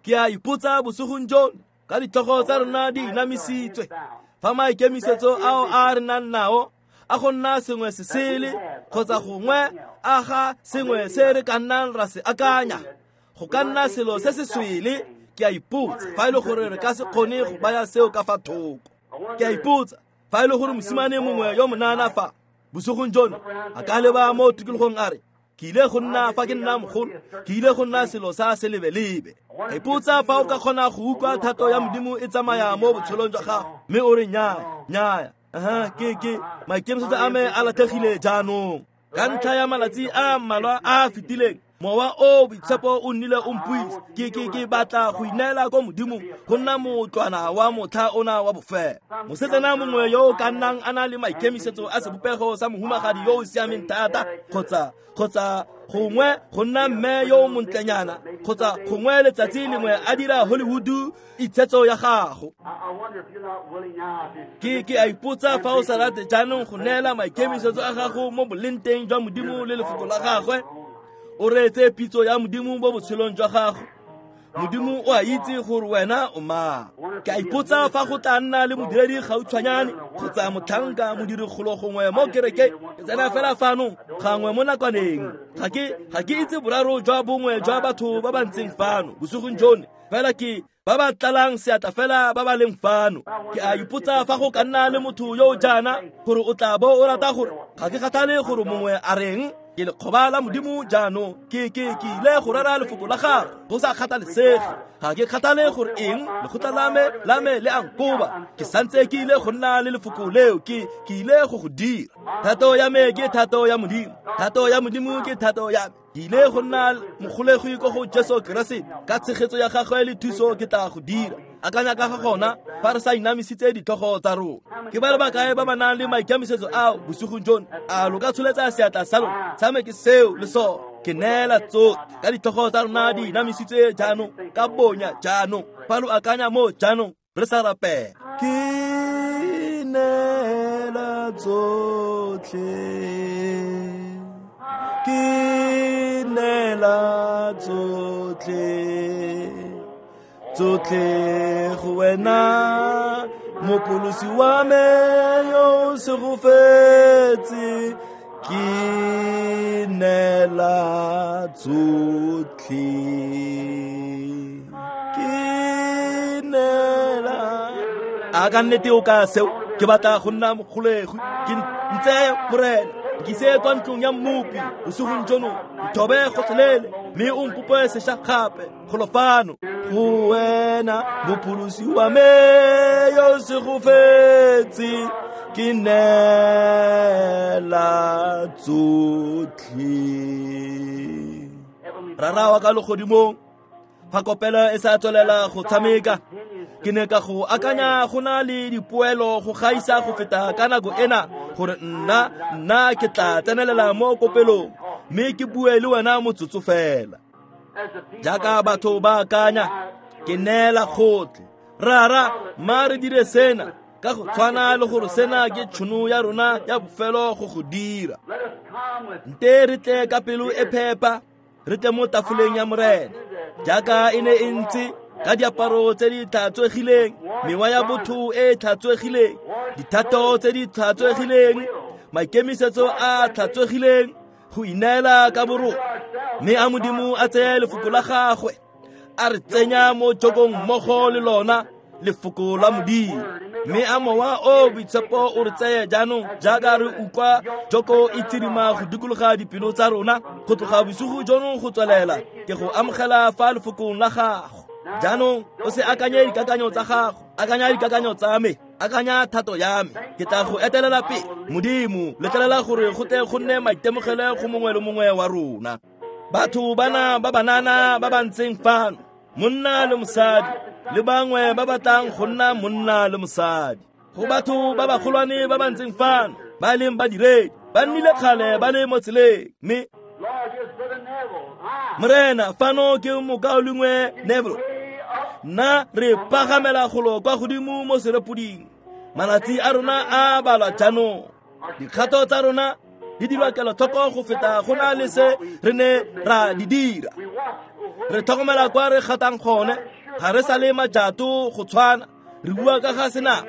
Ke a ipotsa bosigong jono ka ditlhogo tsa rona di inamisitswe, fa maikemisetso ao a re nang nao a go nna sengwe se sele kgotsa gongwe a ga sengwe se re ka nnang ra se akanya go ka nna selo se se swele. Ke a ipotsa fa e le gore re ka se kgone go baya seo ka fa thoko. Ke a ipotsa fa e le gore mosimane mongwe yo monana fa bosigong jono a ka leba mo tikologong a re, ke ile go nna fa ke nna mogolo, ke ile go nna selo sa selebelebe. Ka ipotsa fa o ka kgona go utlwa thato ya Modimo e tsamaya mo botshelong jwa gago mme o re nnyaya, nnyaya, ke maikemisetso a me a latlhegile jaanong. Ka ntlha ya malatsi a mmalwa a a fetileng, mowa o boitshepo o nnile o mpuisa. Ke batla go ineela ko Modimong go nna motlwana wa motlha ona wa bofelo. Mosetsana mongwe yo o ka nnang a na le maikemisetso a sebopego sa mohumagadi yo o siameng thata, kgotsa gongwe go nna mme yo o montlenyana, kgotsa gongwe letsatsi lengwe a dira Hollywood itshetso ya gago. Ke a ipotsa fa o sa rate jaanong go neela maikemisetso a gago mo bolenteng jwa Modimo le lefoko la gagwe, o reetse pitso ya Modimo mo botshelong jwa gago. Modimo o a itse gore wena o mang. Ke a ipotsa fa go tla nna le modiredi gautshwanyane kgotsa motlhanka modirigolo gongwe mo kerekeng. Ke tsena fela fano gangwe mo nakwaneng. Ga ke itse boraro jwa bongwe jwa batho ba ba ntseng fano bosigong jono, fela ke ba ba tlalang seatla fela ba ba leng fano. Ke a ipotsa fa go ka nna le motho yo o jaana gore o tla bo o rata gore ga ke kgathale gore mongwe a reng, ke lekgoba la Modimo jaanong, ke ile go rera lefoko la gagwe go sa kgathalesege. Ga ke kgathale gore eng lekgotla la me le a nkoba, ke santse ke ile go nna le lefoko leo, ke ile go go dira. Thato ya me ke thato ya Modimo, thato ya Modimo ke thato ya me. Ke ile go nna mogolegi ko go Jesu Keresete, ka tshegetso ya gagwe le thuso ke tla go dira. Akanya ka ga gona fa re sa inamisitse ditlhogo tsa rona. Ke ba le bakae ba ba nang le maikemisetso ao bosigong jono? A lo ka tsholetsa seatla sa lona? Sa me ke seo le sone. Ke neela tsotlhe ka ditlhogo tsa rona di inamisitswe jaanong, ka bonya jaanong. Fa lo akanya mo jaanong re sa rapela. Ke neela tsotlhe, ke neela tsotlhe, tsotlhe go wena Mopholosi wa me yo o segofetse. Ke neela tsotlhe, ke neela. A ka nnete o ka seo? Ke batla go nna mogolegi, ke ntseye Morena, ke ise kwa ntlong ya mmopi bosigong jono, nthobe gotlhelele mme o mpope sešwa gape golo fano. Go wena Mopholosi wa me yo o segofetse, ke neela tsotlhe. Rara wa ka legodimong, fa kopelo e sa tswelela go tshameka, ke ne ka go akanya go na le dipoelo go gaisa go feta ka nako ena, gore nna ke tla tsenelela mo kopelong mme ke bue le wena motsotso fela. Jaaka batho ba akanya, ke neela gotlhe. Rara, mma re dire sena ka go tshwana le gore sena ke tšhono ya rona ya bofelo go go dira. Nte re tle ka pelo e phepa, re tle mo tafoleng ya Morena jaaka e ne e ntse ka diaparo tse di tlhatswegileng, mewa ya botho e tlhatswegileng, dithato tse di tlhatswegileng, maikemisetso a tlhatswegileng, go ineela ka borona. Mme a Modimo a tseye lefoko la gagwe a re tsenya mo jokong mmogo le lona lefoko la Modimo. Mme a Mowa o Boitshepo o re tseye jaanong jaaka re utlwa joko e tsirima go dikologa dipelo tsa rona go tloga bosigo jono go tswelela ke go amogela fa lefokong la gago. Jaanong o se akanye dikakanyo tsa gago, akanya dikakanyo tsa me, akanya thato ya me. Ke tla go etelela pele. Modimo, letlelela gore go tle go nne maitemogelo go mongwe le mongwe wa rona. Batho bana ba banana ba ba ntseng fano, monna le mosadi, le bangwe ba batlang go nna monna le mosadi. Go batho ba bagolwane ba ba ntseng fano, ba leng badiredi, ba nnile kgale ba le mo tseleng. Mme Morena, fano ke mokaulengwe Neville. Nna re pagamela golo kwa godimo mo serepoding. Malatsi a rona a balwa jaanong. Dikgato tsa rona di dirwa kelotlhoko go feta go na le se re ne ra di dira. Re tlhokomela kwa re gatang gone, ga re sa le majato go tshwana. Re bua ka ga sena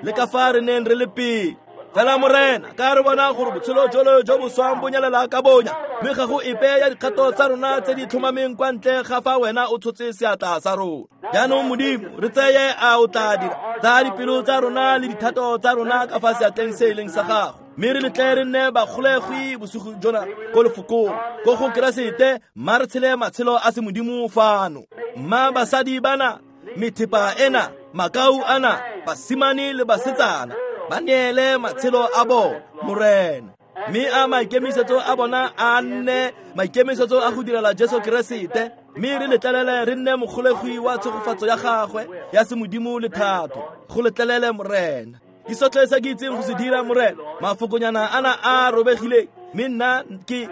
le ka fa re neng re le pele. Fela Morena, ka re bona gore botshelo jolo jo bo swang bo nyelela ka bonya, mme ga go epe ya dikgato tsa rona tse di tlhomameng kwa ntle ga fa wena o tshotse seatla sa rona. Jaanong Modimo, re tseye a o tla dira tsa dipelo tsa rona le dithato tsa rona ka fa seatleng se e leng sa gago. Mme re letle re nne bagolegwi bosigo jona ko lefokong, ko go Keresete, mma re tshele matshelo a semodimo fano. Mma basadi bana, methepa ena, makau ana, basimane le basetsana, ba neele matshelo a bona, Morena. Mme a maikemisetso a bona a nne maikemisetso a go direla Jesu Keresete, mme re letlelele re nne mogolegwi wa tshegofatso ya gagwe ya semodimo le thato. Go letlelele, Morena. Ke sotlhe se ke itseng go se dira, Morena. Mafokonyana ana a robegileng, mme nna ke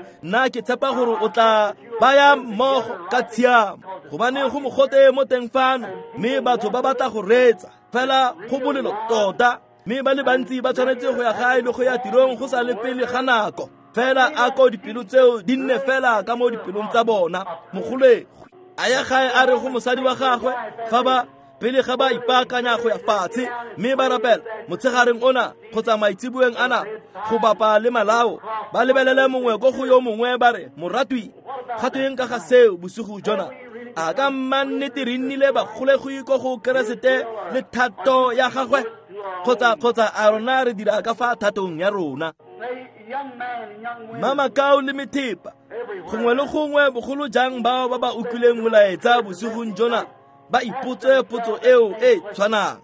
tshepa gore o tla baya mmogo ka tshiamo, gobane go mogote mo teng fano, mme batho ba batla go reetsa fela go bolelo tota. Mme ba le bantsi ba tshwanetse go ya gae le go ya tirong go sa le pele ga nako. Fela a ko dipelo tseo di nne fela ka mo dipelong tsa bona. Mogolegwi a ya gae a re go mosadi wa gagwe fa ba pele ga ba ipaakanya go ya fatshe, mme ba rapela motshegareng ona kgotsa maitsiboeng ana go bapa le malao, ba lebelele mongwe ko go yo mongwe ba re, moratwi, ga tweng ka ga seo bosigo jona? A ka mma nnete re nnile bagolegwi ko go Keresete le thato ya gagwe, kgotsa a rona re dira ka fa thatong ya rona? Mma makau le methepa gongwe le gongwe, bogolo jang bao ba ba utlwileng molaetsa bosigong jona, ba ipotse potso eo e tshwanang.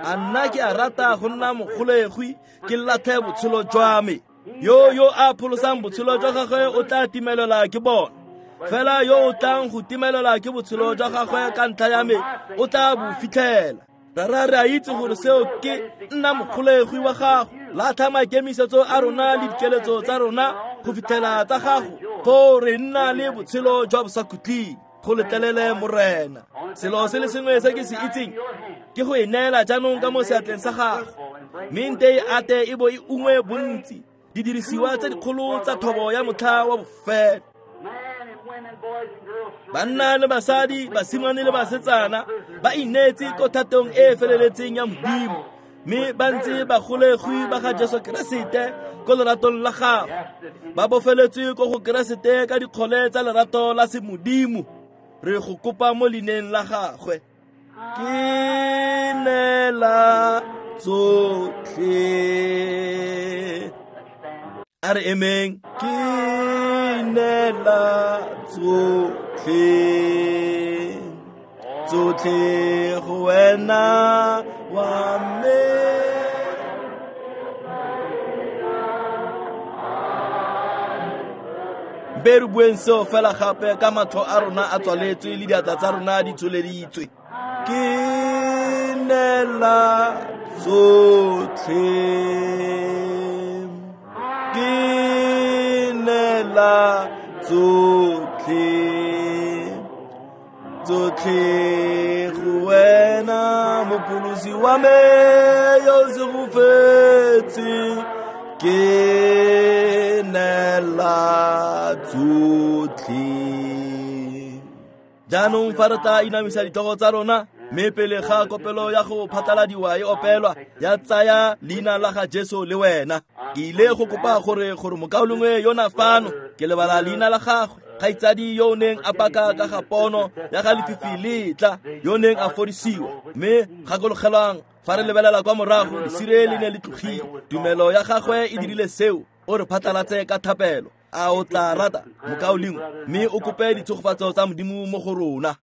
A nna ke a rata go nna mogolegwi, ke latlhe botshelo jwa me? Yo a pholosang botshelo jwa gagwe o tla timelela ke bona, fela yo o tlang go timelela ke botshelo jwa gagwe ka ntlha ya me o tla bo fitlhela. Rara, re a itse gore seo ke nna mogolegwi wa gago. Latlha maikemisetso a rona le dikeletso tsa rona go fitlhela tsa gago, foo re nna le botshelo jwa bosakhutleng. Go letlelele, Morena. Selo se le sengwe se ke se itseng ke go e neela jaanong ka mo seatleng sa gago, mme nte e ate e bo e ungwe bontsi didirisiwa tse dikgolo tsa thobo ya motlha wa bofelo. Banna le basadi, basimane le basetsana ba ineetse ko thatong e e feleletseng ya Modimo, mme ba ntse bagolegwi ba ga Jesu Keresete ko leratong la gagwe, ba bofeletswe ko go Keresete ka dikgole tsa lerato la semodimo. Re go kopa mo leineng la gagwe. Ke neela tsotlhe. A re emeng. Ke neela tsotlhe, tsotlhe go wena wa me. Be re bueng seo fela gape ka matlho a rona a tswaletswe le diatla tsa rona di tsholeditswe. Ke neela tsotlhe, ke neela tsotlhe, tsotlhe go wena mopholosi wa me yo segofetse. Ke neela Fela tsotlhe. Jaanong fa re tla inamisa ditlhogo tsa rona, mme pele ga kopelo ya go phatlaladiwa e opelwa ya tsaya leina la ga Jesu le wena, ke ile go kopa gore mokaulengwe yona fano, ke lebala leina la gagwe, kgaitsadi yo o neng a paka ka ga pono ya ga lefifi letla, yo neng a fodisiwa. Mme gakologelwang, fa re lebelela kwa morago, lesire le ne le tlogile. Tumelo ya gagwe e dirile seo. O re phatlalatse ka thapelo. A o tla rata, mokaulengwe, mme o kope ditshegofatso tsa Modimo mo go rona.